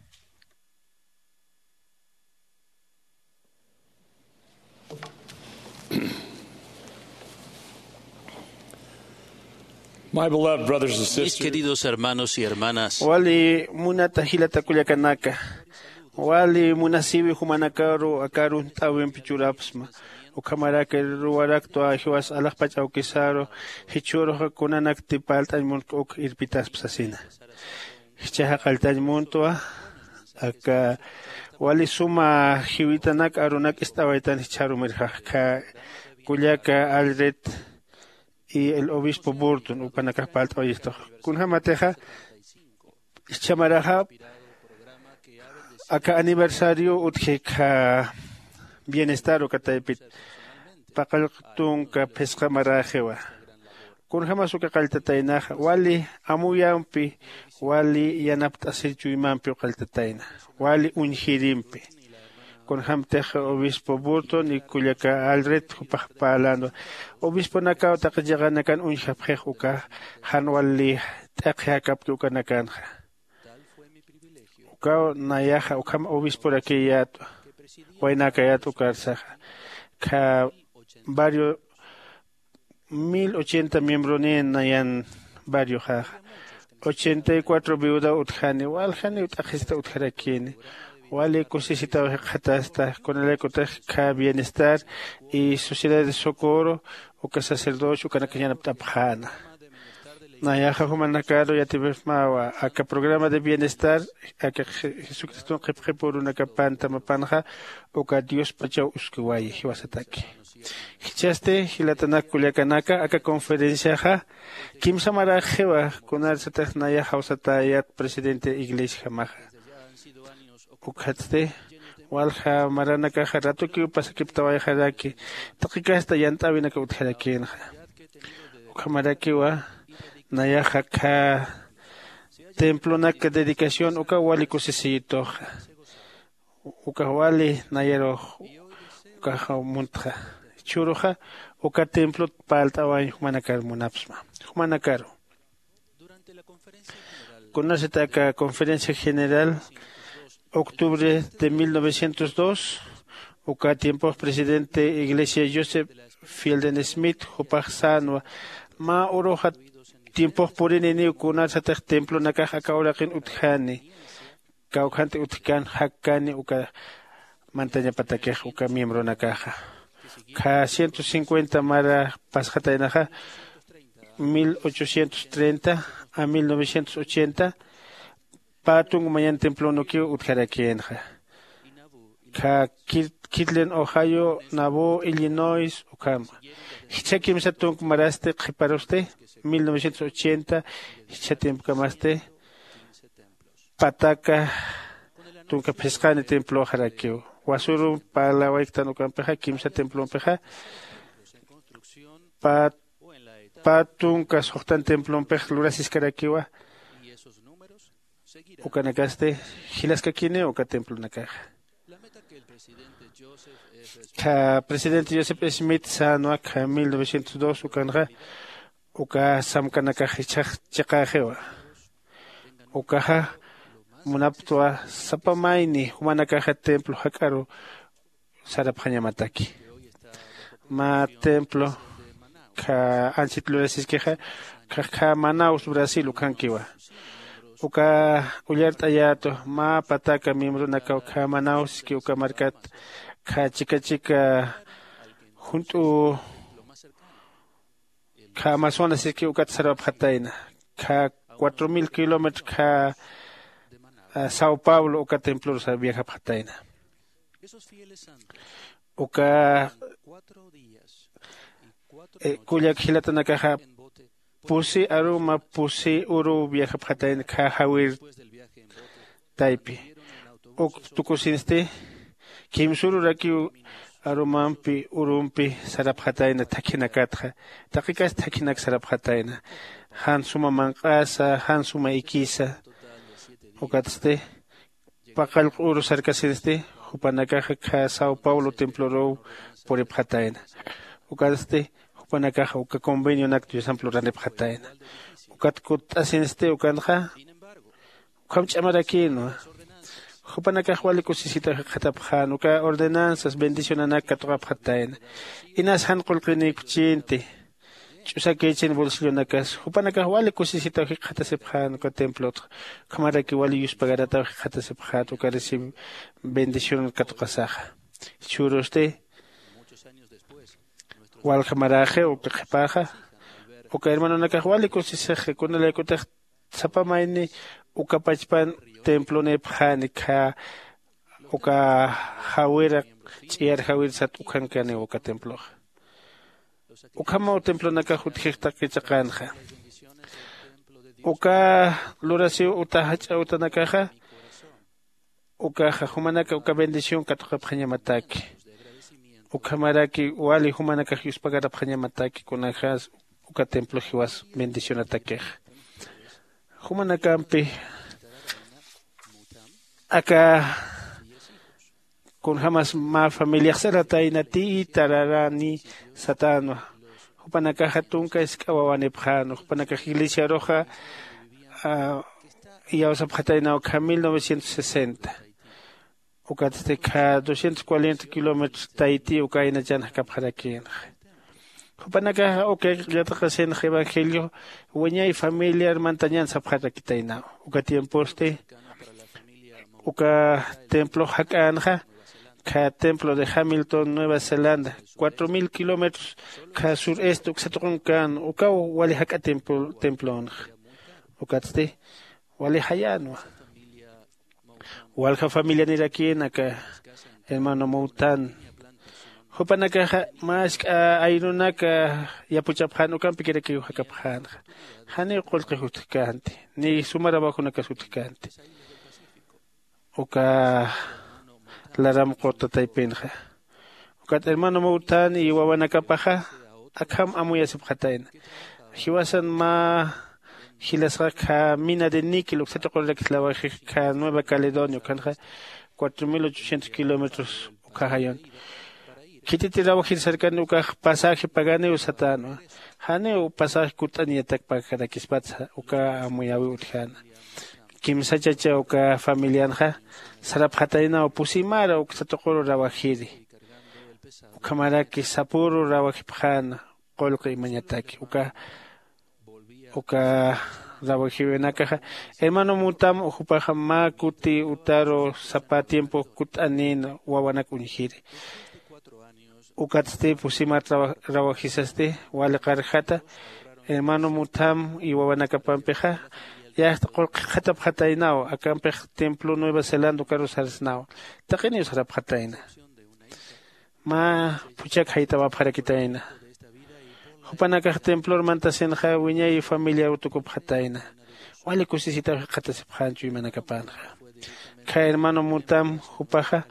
My beloved brothers and Mis sisters, queridos hermanos y hermanas, wali munata jilata kullakanaka, wali munasiwi jumanakaru aka arunt'äwimpi churapxsma. Ukhamaraki ruwaraktwa jiwas alaxpach awkisaru, jichhüruxa kunanakti parlt'añ muntk uk irpitaspa sasina. Jichhaxa qalltañ muntwa, aka wali suma jiwitanak arunak ist'awaytan jichharumirjax, kha kullaka Alred y el obispo Burton, ukanakax parlt'awayistuxa. Kunjamatixa, jichha maraxa, aka aniversario utji kha bienestar uka taypit, paqallq tunka phisqa maräxiwa. Kunjämas uka qalltataynaxa, wali amuyampi, wali yanapt'asir chuymampiw qalltatayna, wali uñjirimpi. Kunjämtix obispo Burton y kullaka Alred jupax parlänwa, obisponakaw taqi chiqanakan uñjapxix uka, jan wali t'aqhi jakapki ukanakanxa. Ukaw nayaxa ukham obisporakiyätwa, waynäkayät ukarsaxa. Kha barrio mil ochenta miembronin nayan barrioxaxa. Ochenta y cuatro viudaw utjani, waljaniw t'aqhista utjarakini. Wali kusisitaw jikxatasta, kunalaykutix kha bienestar y sociedad de socorro, uka sacerdocio, ukanakax yanapt'apxäna. Nayaxa jumanakaru yatipxsmawa, aka programa de bienestar, aka Je-, Jesucriston qhipqhip urunakap pantamapanxa, uka Diospachaw uskiwayi jiwasataki. Jichhasti, jilatanak kullakanaka, aka conferenciaxa, kimsa maräxiwa, kunarsatix nayax jawsatäyät presidente iglesiajamaxa. Ukhatsti, walja maranakaxa ratukiw pasakiptawayxaraki, taqi kasta yant'äwinakaw utjarakïnxa. Ukhamarakiwa, nayaxa kha templonak dedicación ukaw wali kusisiyituxa. Ukax wali nayarux ukax muntxa. Jichhüruxa, uka templot parlt'awañ jumanakar munapxsma. Jumanakaru. Kunasat aka conferencia general octubre de mil novecientos dos, uka tiempox presidente iglesia Joseph Fielding Smith jupax sänwa, mä uruxa tiempox purininiw kunasatix templonakax aka uraqin utjani, kawkhanti utjkän jakkani uka mantañapatakix uka miembronakaxa. Kha ciento cincuenta mara pasxataynaxa, mil ochocientos treinta a mil novecientos ochenta, pä tunk mañan templonukiw utjarakïnxa. Kha Kir-, Kirtland, Ohio, Nauvoo, Illinois, ukhama. Jichha kimsa tunk marasti qhiparusti, mil novecientos ochenta, jichha tiempkamasti, pataka tunka phisqani temploxarakiw. Wasürun parlawayktan ukampixa, kimsa templompixa, pä, pä tunka suxtan templompix lurasiskarakiwa. Ukanakasti jilaskakiniw uka templonakaxa. Kha presidente Joseph Smith sänwa kha mil novecientos dos ukanxa, uka samkanakax jichhax chiqäxiwa. Ukaxa munaptwa sapa mayni jumanakaxa templo jak'aru sarapxañamataki. Mä templo kha ansit lurasiskixa, kha, kha Manaus, Brasil ukhankiwa. Uka ullart'ayätu, mä pataka miembronakaw kha Manauski uka markat, kha chika chika junt'u kha Amazonas siki ukat sarapxatayna. Kha cuatro mil kilómetro kha Sao paulo uka templorus viajapxatayna. Uka kullak jilatanakaxa pusi aruma pusi uru viajapxatayna kha jawir taypi. Uk tukusinsti kimsururakiw arumampi urumpi sarapxatayna thakhinakatxa. Taqikas thakhinak sarapxatayna jan suma manq'asa jan suma ikisa. Ukatsti paqallq uru sarkasinsti jupanakaxa kha sao paulo temploruw puripxatayna. Ukatsti jupanakaxa uka convenionak diosamp luranipxatayna. Ukat kutt'asinsti ukanxa ukham ch'amarakïnwa. Jupanakax wali kusisitaw jikxatapxän uka ordenanzas bendicionanak katuqapxatayna. Inas jan qullqinïkpchïnti ch'usakïchin bolsillonakas jupanakax wali kusisitaw jikxatasipxän uka templotxa. Ukhamaraki wali yuspagarataw jikxatasipxät uka recibe bendición katuqasaxa. Jichhürusti walja maräxiw uka qhipaxa uka hermanonakax wali kusisixi kunalaykutix sapa mayni uka pachpan templonïpxäni khä uka jawira ch'iyar jawir sat ukhankaniw uka temploxa. Ukhamaw templonakax utjix taqi chiqänxa. Uka lurasiw uta jach'a utanakaxa ukaxa jumanaka uka bendición katuqapxañamataki. Ukhamaraki wali jumanakax yuspagarapxañamataki kunajäs uka templo jiwas bendicionatakixa. Jumanakampi aka kunjämas mä familiax saratayna ti tararani satänwa. Jupanakaxa tunka isk'a wawanipxänwa jupanakax iglesiaruxa iyawsapxataynaw kha mil novecientos sesenta. Ukatsti kha doscientos cuarenta kilómetros taytï uka aynachan jakapxarakïnxa. Jupanakaxa uka yatiqasinxa evangelio wiñay familiar mantañan sapxarakitaynaw. Uka tiemposti uka templox jak'änxa kha templo de hamilton nueva zelanda cuatro mil kilómetros kha sur este uksa tuqunkan ukaw wali jak'a templonxa. Ukatsti wali jayänwa. Walja familianirakïn aka hermano mowtan jupanakaxa mä isk'a ayrunak yapuchapxän ukampikirakiw jakapxänxa. Janiw qullqix utjkänti ni suma trabajonakas utjkänti. Uka laram qurta taypinxa ukat hermano mowtan y wawanakapaxa akham amuyasipxatayna. Jiwasan mä jilasxa kha mina de niquel uksa tuqurirakislawajix kha nueva caledonia ukhanxa cuatro mil ochocientos kilómetros ukhaxayun. Khititi rawajir sarkani ukax pasaje paganiw satänwa. Janiw pasaje kut'aniyatak pagarakispatsa uka amuyäwiw utjäna. Kimsa chacha uka familianxa sarapxataynaw pusimara uksa tuquru rawajiri. Ukhamaraki sapüru rawajipxäna qullqi imañataki uka uka rawajiwinakaxa hermano mutam jupaxa mä kuti utaru sapa tiempo kut'anïn wawanak uñjiri. Ukatsti pusimar rawajisasti wali qarjata hermano mutam y wawanakapampixa yasta qullqi qhatapxataynaw akampix templo nueva zelanda ukaru sarsnaw. Taqiniw sarapxatayna mä phuchak jaytawapxarakitayna. Jupanakax templor mantasinxa wiñay familiaw tukupxatayna. Wali kusisitaw jikxatasipxän chuymanakapanxa. Kha hermano mutam jupaxa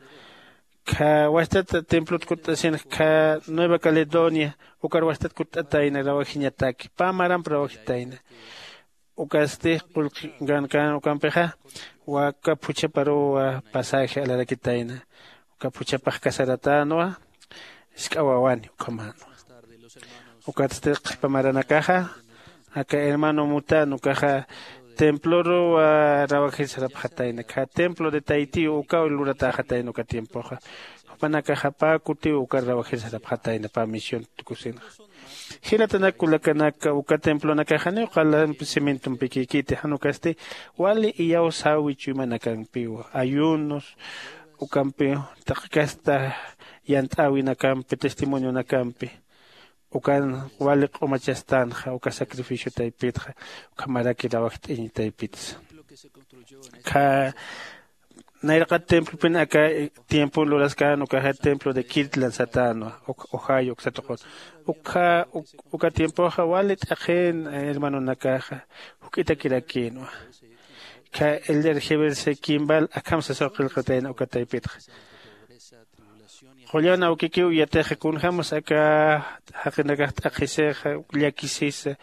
kha wastat templot kutt'asinxa kha nueva caledonia ukar wastat kutt'atayna rawajiñataki pä maramp rawajitayna. Ukasti qullqi gankän ukampixa waka phuchhaparuw pasaje alarakitayna. Uka phuchhapax kasaratänwa isk'a wawani ukhamänwa. Ukatsti qhipa maranakaxa aka hermano mutan ukaxa temploruw rawajir sarapxatayna kha templo de taytiw ukaw luratäxatayna uka tiempoxa. Jupanakaxa pä kutiw ukar rawajir sarapxatayna pä misión tukusinxa. Jilatanak kullakanaka uka templonakax janiw qalamp cementompikïkiti jan ukasti wali iyawsäwi chuymanakampiw ayunos ukampiw taqi kasta yant'äwinakampi testimonionakampi ukan wali q'umachastänxa uka sacrificio taypitxa. Ukhamaraki rawajt'añ taypitsa Kha nayraqat templopin aka tiempon luraskän ukaxa templo de Kirtland satänwa, ohio uksatuqun. Ukha uka tiempoxa wali t'aqhin hermanonakaxa juk'itakirakïnwa. Kha elder jebelse kimbal akham sasaw qillqatayna uka taypitxa. Qullan awkikiw yatixa kunjämas aka jaqinakax t'aqhisixa llakisisa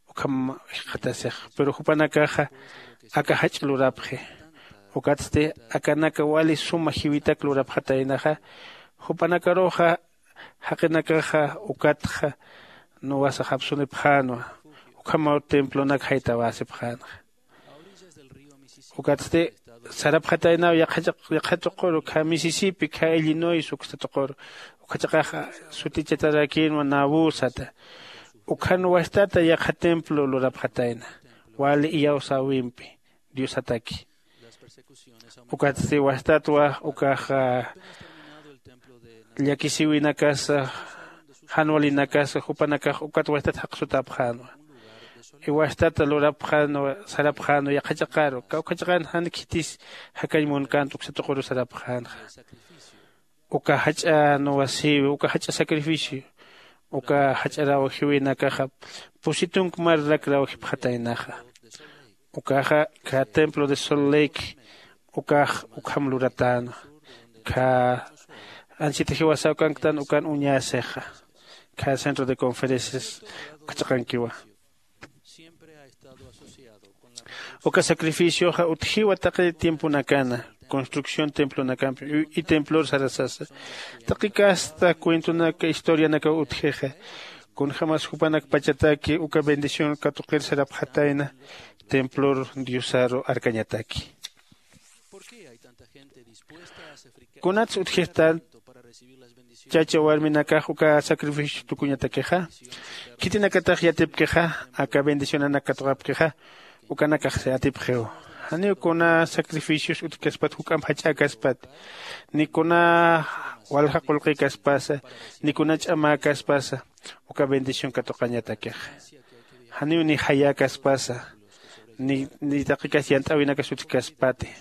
ukham jikxatasixa. Pero jupanakaxa aka jach'a lurapxi. Ukatsti akanaka wali suma jiwitak lurapxataynaxa. Jupanakaruxa jaqinakaxa ukatxa nuwasax apsunipxänwa. Ukhamaw templonak jaytawäsipxänxa. Ukatsti sarapxataynaw yaqha tuquru kha misisipi kha illinois uksta tuquru. Ukha chiqax sutichatarakïnwa nabu sata. Ukhan wastata yaqha templo lurapxatayna wali iyawsäwimpi diosataki. Ukatsti wastatwa ukax llakisiwinakasa jan walinakasa jupanakax ukat wastat jaqsutäpxänwa. Iwastata lurapxänwa sarapxänwa yaqha chiqaru kawkha chiqan jan khitis jakañ munkänta uksa tuquru sarapxänxa. Uka jach'a nuwasïwi uka jach'a sacrificio uka jach'a rawjiwinakaxa pusi tunka marrak rawjipxataynaxa. Ukaxa kha templo de sol lake ukax ukham luratänwa. Kha ansita jiwasaw kanktan ukan uñäsixa kha centro de conferencias uka chiqankiwa. Uka sacrificioxa utjiwa taqi tiemponakana construcción templonakampi y templor sarasasa. Taqi kasta cuentonaka historianakaw utjixa kunjämas jupanak pachataki uka bendición katuqir sarapxatayna templor diosaru arkañataki. Kunats utjistan chacha warminakax uka sacrificio tukuñatakixa? Khitinakatax yatipkixa aka bendicionanak katuqapkixa? Ukanakax yatipxiw. Janiw kuna sacrificios utjkaspat juk'amp jach'äkaspat ni kuna walja qullqïkaspasa ni kuna ch'amäkaspasa uka bendición katuqañatakixa. Janiw ni jayäkaspasa ni taqikas yant'äwinakas utjkaspati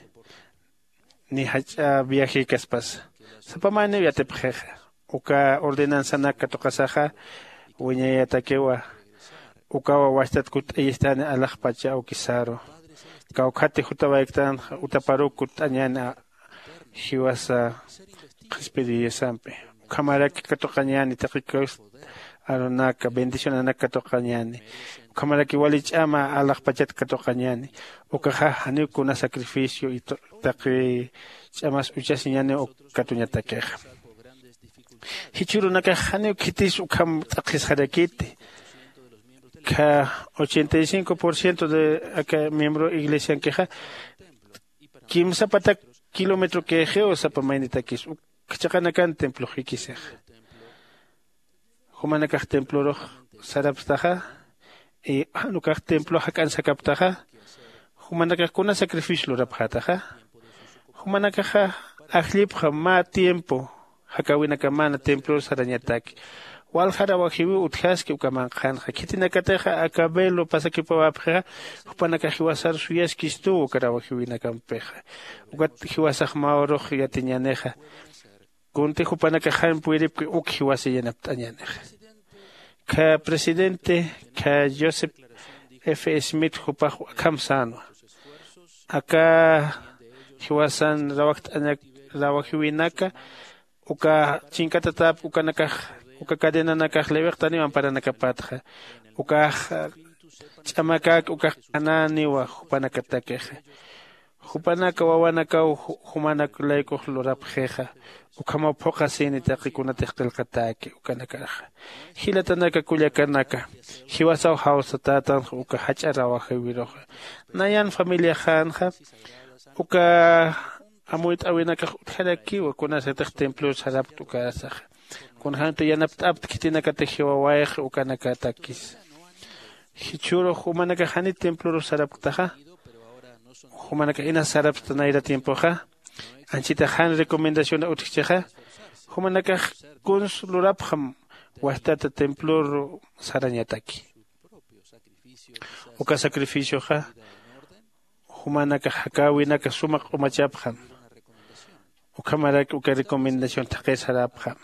ni jach'a viajekaspasa. Sapa mayniw yatipxixa uka ordenanzanak katuqasaxa wiñayatakiwa. Ukawa wastat kutt'ayistani alaxpacha awkisaru kawkhati jutawayktanxa utaparuk kutt'añäni. Jiwasa qhispiriyasampi ukhamaraki katuqañäni taqi kawsa arunaka bendicionanak katuqañäni. Ukhamaraki wali ch'ama alaxpachat katuqañäni. Ukaxa janiw kuna sacrificio y taqi ch'amas uchasiñäniw katuñatakixa. Jichhürunakax janiw khitis ukham t'aqhisxarakiti. Kha ochenta y cinco por ciento de aka miembro iglesiankixa kimsa patak kilometro kïxiw sapa maynitakis ukha chiqanakan templox jikisixa. Jumanakax templorux sarapstaxa y jan ukax templo jak'an sakaptaxa jumanakax kuna sacrificio lurapxätaxa? Jumanakaxa ajllipxam mä tiempo jakäwinakamana templor sarañataki. Walja rawajiwiw utjaski uka manqhanxa khitinakatixa aka velo pasakipawäpxixa jupanakax jiwasar suyaskistuw uka rawajiwinakampixa. Ukat jiwasax mä urux yatiñänixa kunti jupanakax jan puyripki uk jiwasa yanapt'añänixa. Kha presidente kha joseph f smith jupax akham sänwa aka jiwasan rawajt'añak rawajiwinaka uka chinkatatap ukanakax uka cadenanakax liwiqtaniw amparanakapatxa. Ukax ch'amakak ukax qhanäniwa jupanakatakixa. Jupanaka wawanakaw jumanak laykux lurapxixa ukhamaw phuqhasini taqi kunatix qillqatäki ukanakaraxa. Jilatanaka kullakanaka jiwasaw jawsatätanxa uka jach'a rawajïwiruxa. Nayan familiaxänxa uka amuyt'äwinakax utjarakiwa kunasatix templor sarapkt ukasaxa. Kunjämti yanapt'apt khitinakatix jiwawayxi ukanakatakisa. Jichhürux jumanakax jani templorux sarapktaxa? Jumanakax inas sarapsta nayra tiempoxa anchitax jan recomendaciona utjchixa? Jumanakax kuns lurapxam wastata templor sarañataki. Uka sacrificioxa Jumanakax jakäwinaka suma q'umachapxam. Ukhamarak uka recomendación thaqir sarapxam.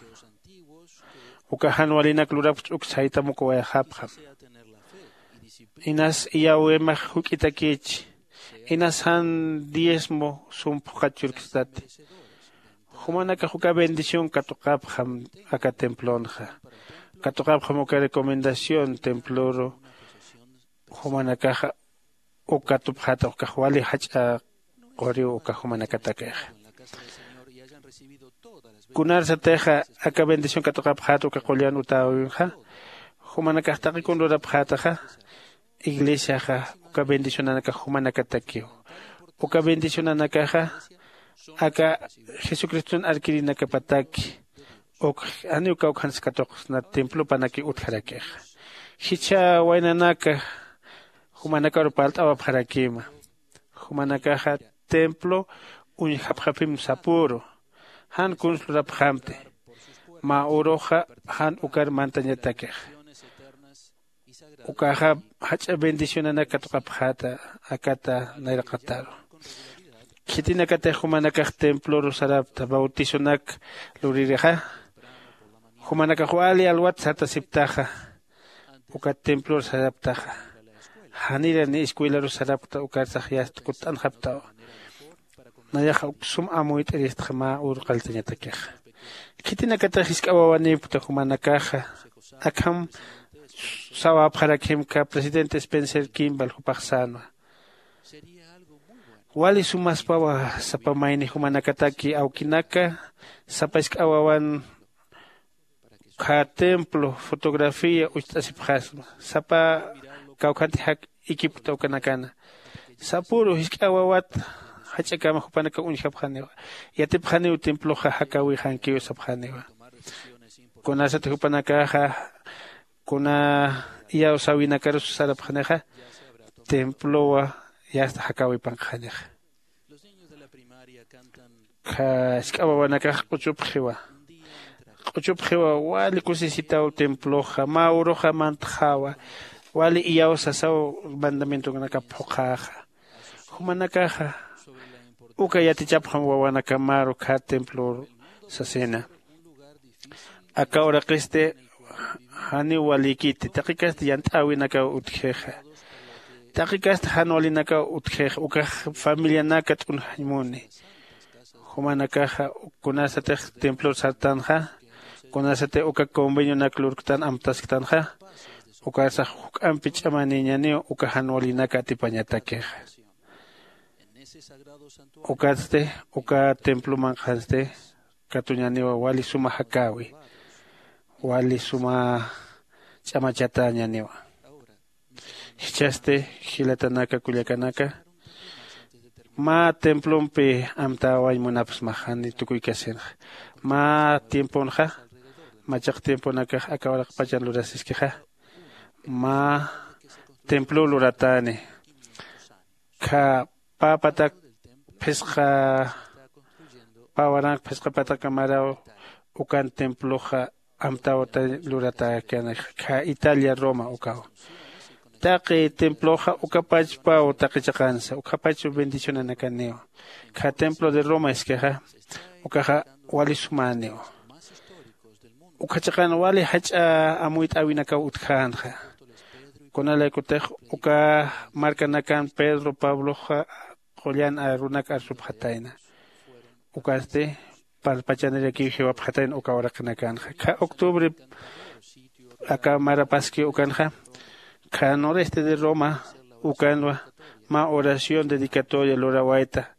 Uka jan walinak lurapxta uk saytam uka wayxapxam. Inas iyawemax juk'itakïchi. Inas jan diezmo sum phuqhat churkstati. Jumanakax uka bendición katuqapxam aka templonxa. Katuqapxam uka recomendación temploru. Jumanakaxa uk katupxäta ukax wali jach'a quriw uka jumanakatakixa. Kunarsatixa aka bendición katuqapxäta uka qullan utäwinxa, jumanakax taqi kun lurapxätaxa, iglesiaxa uka bendicionanakax jumanakatakiw. Uka bendicionanakaxa aka jesucriston arkirinakapataki uk janiw kawkhans katuqsna templopanakiw utjarakixa. Jichha waynanaka jumanakaru parlt'awapxarakïma. Jumanakaxa templo uñjapxapim sapüru. Jan kuns lurapxamti. Mä uruxa jan ukar mantañatakixa. Ukaxa jach'a bendicionanak katuqapxäta akata nayraqataru. Khitinakatix jumanakax temploru sarapta bautizonak luririxa. Jumanakax wali alwat sartasiptaxa. Ukat templor saraptaxa. Janira ni escuelaru sarapkta ukarsax yast kutt'anxaptawa. Nayaxa uk sum amuyt'iristxa mä ur qalltañatakixa. Khitinakatax jisk'a wawanïpkta jumanakaxa. Akham sawapxarakhimka presidente spencer kimball jupax sänwa. Wali sumaspawa sapa mayni jumanakataki awkinaka sapa jisk'a wawan ukkha templo fotografía ucht'asipxasma. Sapa kawkhanti jak ikipkta ukanakana. Sapüru jisk'a wawat jach'akama jupanakaw uñjapxaniwa. Yatipxaniw temploxa jakäwixankiw sapxaniwa. Kunasat jupanakaxa kuna iyawsäwinakarus sarapxanixa templowa yasta jakäwipanqxanixa. Jisk'a wawanakax q'uchupxiwa. Q'uchupxiwa wali kusisitaw temploxa mä uruxa mantxäwa. Wali iyawsasaw mandamientonaka phuqhäxa. Jumanakaxa uka yatichapxam wawanakamaru khä templor sasina. Aka uraqisti janiw walïkiti taqikasti yant'äwinakaw utjixa. Taqikasti jan walinakaw utjixa ukax familianaka t'unjañ muni. Jumanakaxa kunasatix templor sartanxa kunasatix uka convenionak lurktan amtasktanxa. Ukarsax juk'ampi ch'amanïñaniw uka jan walinaka atipañatakixa. Ukatsti uka templo manqhansti katuñaniwa wali suma jakäwi wali suma ch'amachatäñaniwa. Jichhasti jilatanaka kullakanaka mä templompi amtäwañ munapxsmaxani tukuykasinxa. Mä tiemponxa machaq tiemponakax aka uraqpachan lurasiskixa mä templo luratäni. Kha pä patak phisqa pä waranq phisqa patakamaraw ukan temploxa amtawta luratäkani kha italia roma ukaw. Taqi temploxa ukapachpaw taqi chiqansa ukhapach bendicionanakaniw. Kha templo de roma iskixa ukaxa wali sumäniw. Ukha chiqan wali jach'a amuyt'äwinakaw utjänxa. Kunalaykutix uka markanakan pedro pabloxa qullan arunak arsupxatayna. Ukasti parlpachanirakiw jiwapxatayna uka uraqinakanxa kha octubre aka marapaskiw ukanxa kha noreste de roma ukanwa mä oración dedicatoria lurawayta.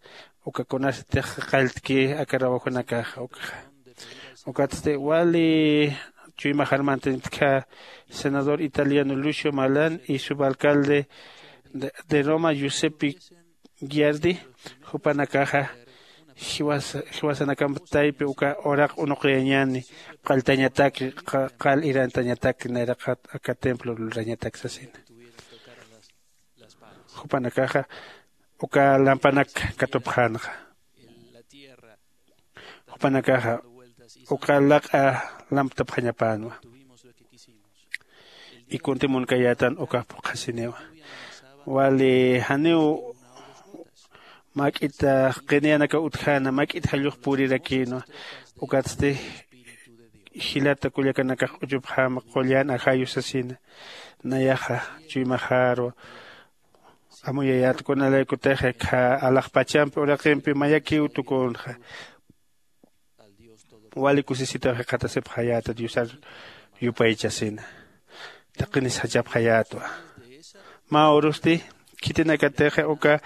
Uka kunasatix qalltki aka rawajunakaxa ukaxa. Ukatsti wali chuymaxar mantaniptkha senador italiano lucio malan y subalcalde de roma giuseppe giardi jupanakaxa jiwasanakamp taypi uka uraq unuqyañani qalltañataki qal irantañataki nayraqat aka templo lurañatak sasina. Jupanakaxa uka lampanak katupxänxa. Jupanakaxa uka laq'a lamptapxañapänwa. Y kunti munkayätan ukax phuqhasiniwa. Wali janiw Mak'ita qiniyanaka utjana mak'ita jallux purirakïnwa. Ukatsti jilata kullakanakax q'uchupxäma qullan ajayu sasina. Nayaxa chuymaxaru amuyayät kunalaykutix akha alaxpachampi uraqimpi mayakiw tukünxa. Wali kusisitaw jikxatasipxayäta diosar yupaychasina. Taqinis jachapxayätwa. Mä urusti khitinakatixa uka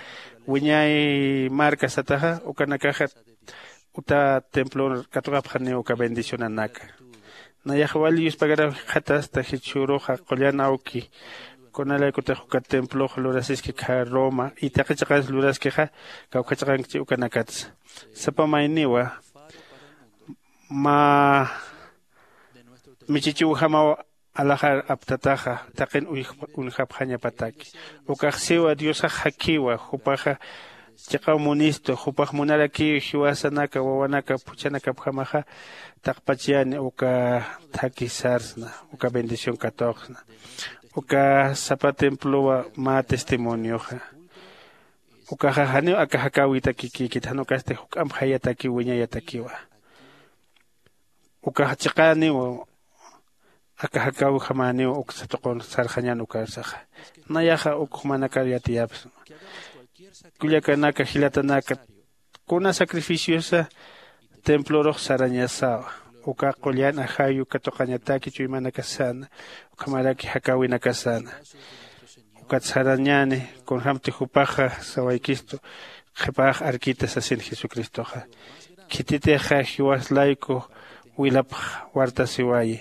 wiñay marka sataxa ukanakaxa uta templon katuqapxaniw uka bendicionanaka. Nayax wali yuspagaraw jikxatasta jichhüruxa qullan awki kunalaykutix uka templox lurasiski kha roma y taqi chiqans luraskixa kawkha chiqankchi ukanakatsa. Sapa mayniwa mä michichiwjamaw alaxar aptataxa taqin uñjapxañapataki. Ukax siwa diosax jakiwa jupaxa chiqaw munistu jupax munarakiw jiwasanaka wawanaka phuchhanakapjamaxa taqpachayani uka thaki sarsna uka bendición katuqsna. Uka sapa templowa mä testimonioxa ukaxa janiw aka jakäwitakikïkit jan ukasti juk'amp jayatakiw wiñayatakiwa. Ukax chiqäniw aka jakäwijamäniw uksa tuqun sarxañän ukarsaxa. Nayaxa uk jumanakar yatiyapsma. Kullakanaka jilatanaka kuna sacrificiosa templorux sarañasawa. Uka qullan ajayu katuqañataki chuymanakasana ukhamaraki jakäwinakasana. Ukat sarañäni kunjämti jupaxa sawaykistu qhipax arkita sasin jesucristoxa. Khititixa jiwas layku wilapx wartasiwayi.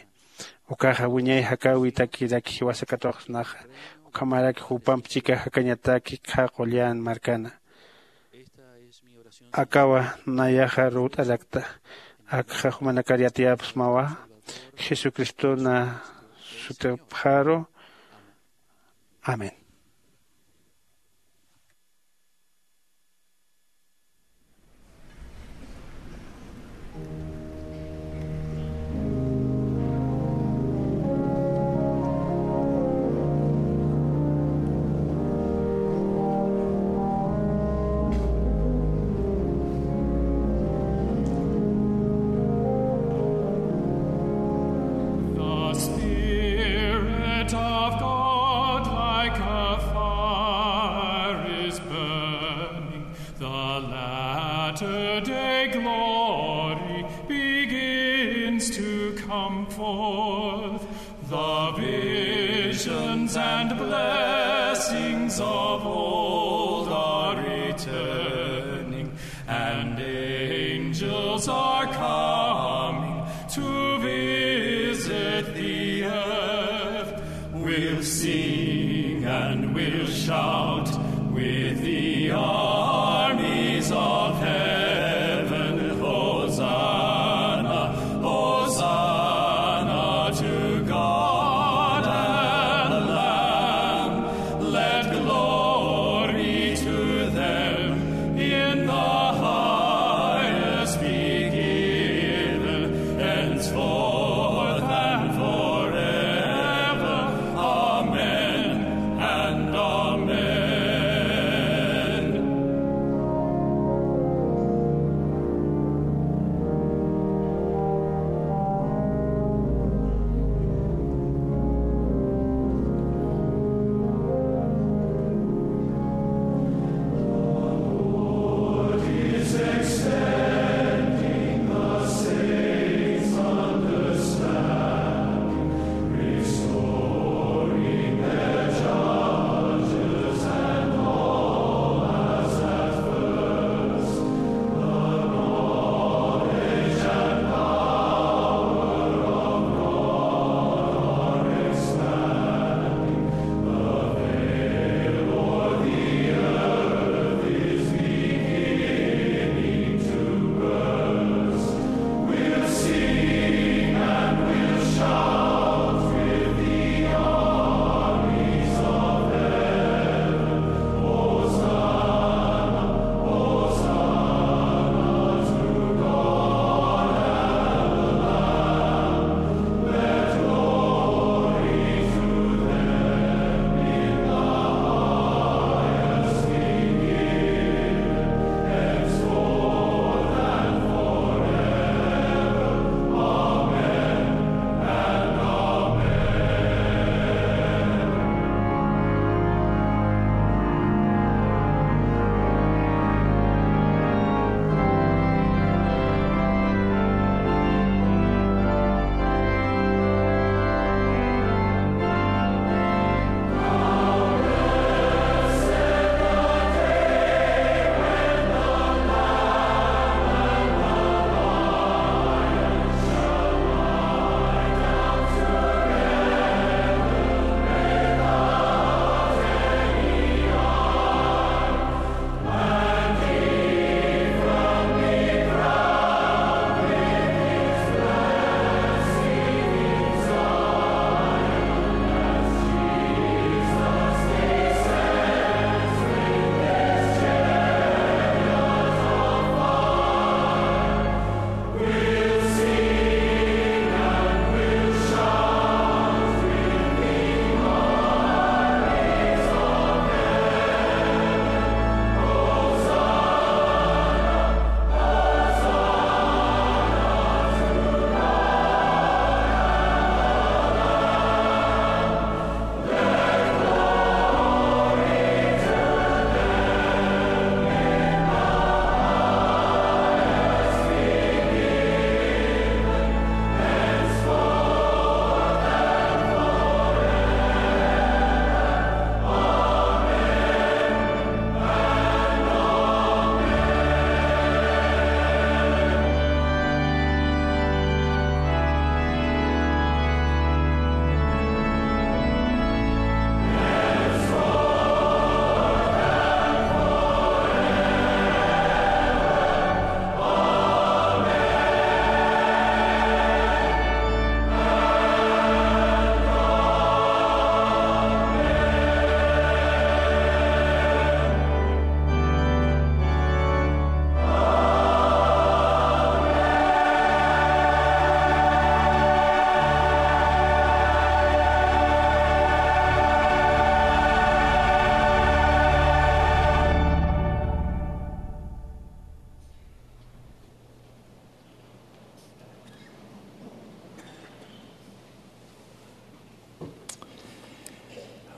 Ukaxa wiñay jakäwitakiraki jiwasa katuqsnaxa ukhamaraki jupamp chika jakañataki qha qullan markana. Akawa nayaxa ruwt'arakta akxa jumanakar yatiyapxsmawa jesucristona sutipxaru. Amén. The Spirit of God like a fire is burning. The latter day glory begins to come forth. The visions and blessings of old are returning, and angels are coming to visit the earth. We'll sing and we'll shout with the armies of heaven. Hosanna, Hosanna to God and Lamb. Let glory to them in the highest be given, henceforth and forever. Amen and amen.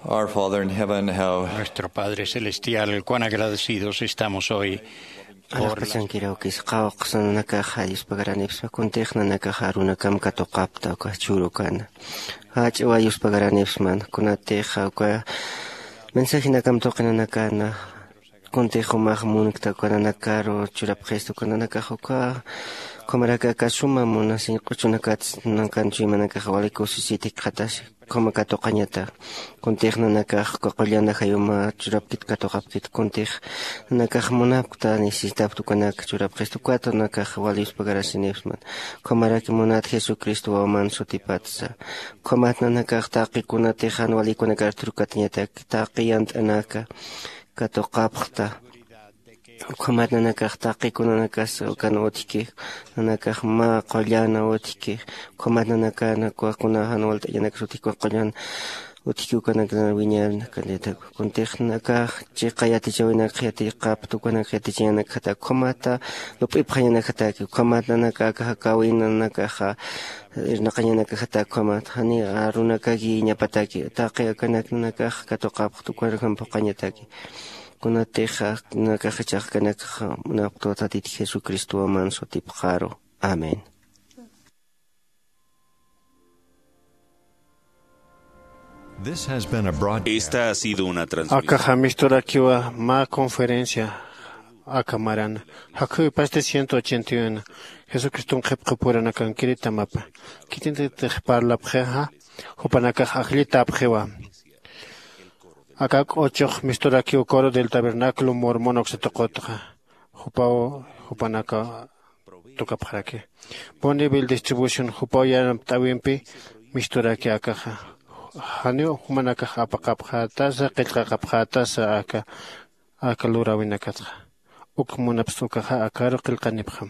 Our Father in heaven, how Nuestro Padre Celestial, cuán agradecidos estamos hoy por las Araqpachankiraw kisa qawqhsa nanakaxa Diospa garanipspa, kuntix nanakaxa arunakam katuqapta uka churukana. Jach'wa Diospa garanipsman, kunatix uka mensajinakam tuqinanakana, kuntix jumax munkta uka nanakaru churapxista, uka nanakax uka ukhamaraki aka suma munasiñ q'uchunakat nankan chuymanakax wali kusisiti qhatasi. Ukhama katuqañata, kuntix nanakax uka qullana jayuma churapkit katuqapkit, kuntix nanakax munapkta necesitapkta ukanak churapxista, ukat nanakax wali Diospa agradeciniwsman. Ukhamaraki munat Jesucristo wawaman sutipatsa, ukhamat nanakax taqi kunatix jan walikunakar thurukatañataki, taqi yant'anaka katuqapxta. Ukhamat nanakax taqi kunanakas ukan utjki, nanakax mä qullana utjki, ukhamat nanakana kuna jan walt'añanakas utjki, kuna qullan utjki ukanakana wiñarna kanditak. Kuntix nanakax chiqa yatichäwinakxa yatiqapta ukanak yatichañanakjataki, ukhamata lup'ipxañanakjataki, ukhamat nanaka aka jakäwina nanakaxa irnaqañanakjataki, ukhamat jani arunakaki iñapataki, taqi akanak nanakax katuqapxta ukanakam phuqhañataki. Kunatix nanakax jichhax kanakxa munapkta Tatit Jesucristo waman sutipxaru. Amén. This has been a broadcast. Esta ha sido una transmisión. Akaxa misturakiwa mä conferencia aka maran. Jakhuwipasti ciento ochenta y uno. Jesucriston qhipqapuranakan kiritamapa. Khitintitix parlapxixa, jupanakax ajllitapxiwa. Aka k'uchux misturakiw Coro del Tabernáculo Mormón uksa tuqutxa, jupaw jupanaka tukapxaraki. Bonneville Distribution jupaw yanapt'äwimpi misturaki akaxa. Janiw jumanakax apaqapxätasa, qillqaqapxätasa aka, aka luräwinakatxa. Uk munapxsa ukaxa akaru qillqanipxam.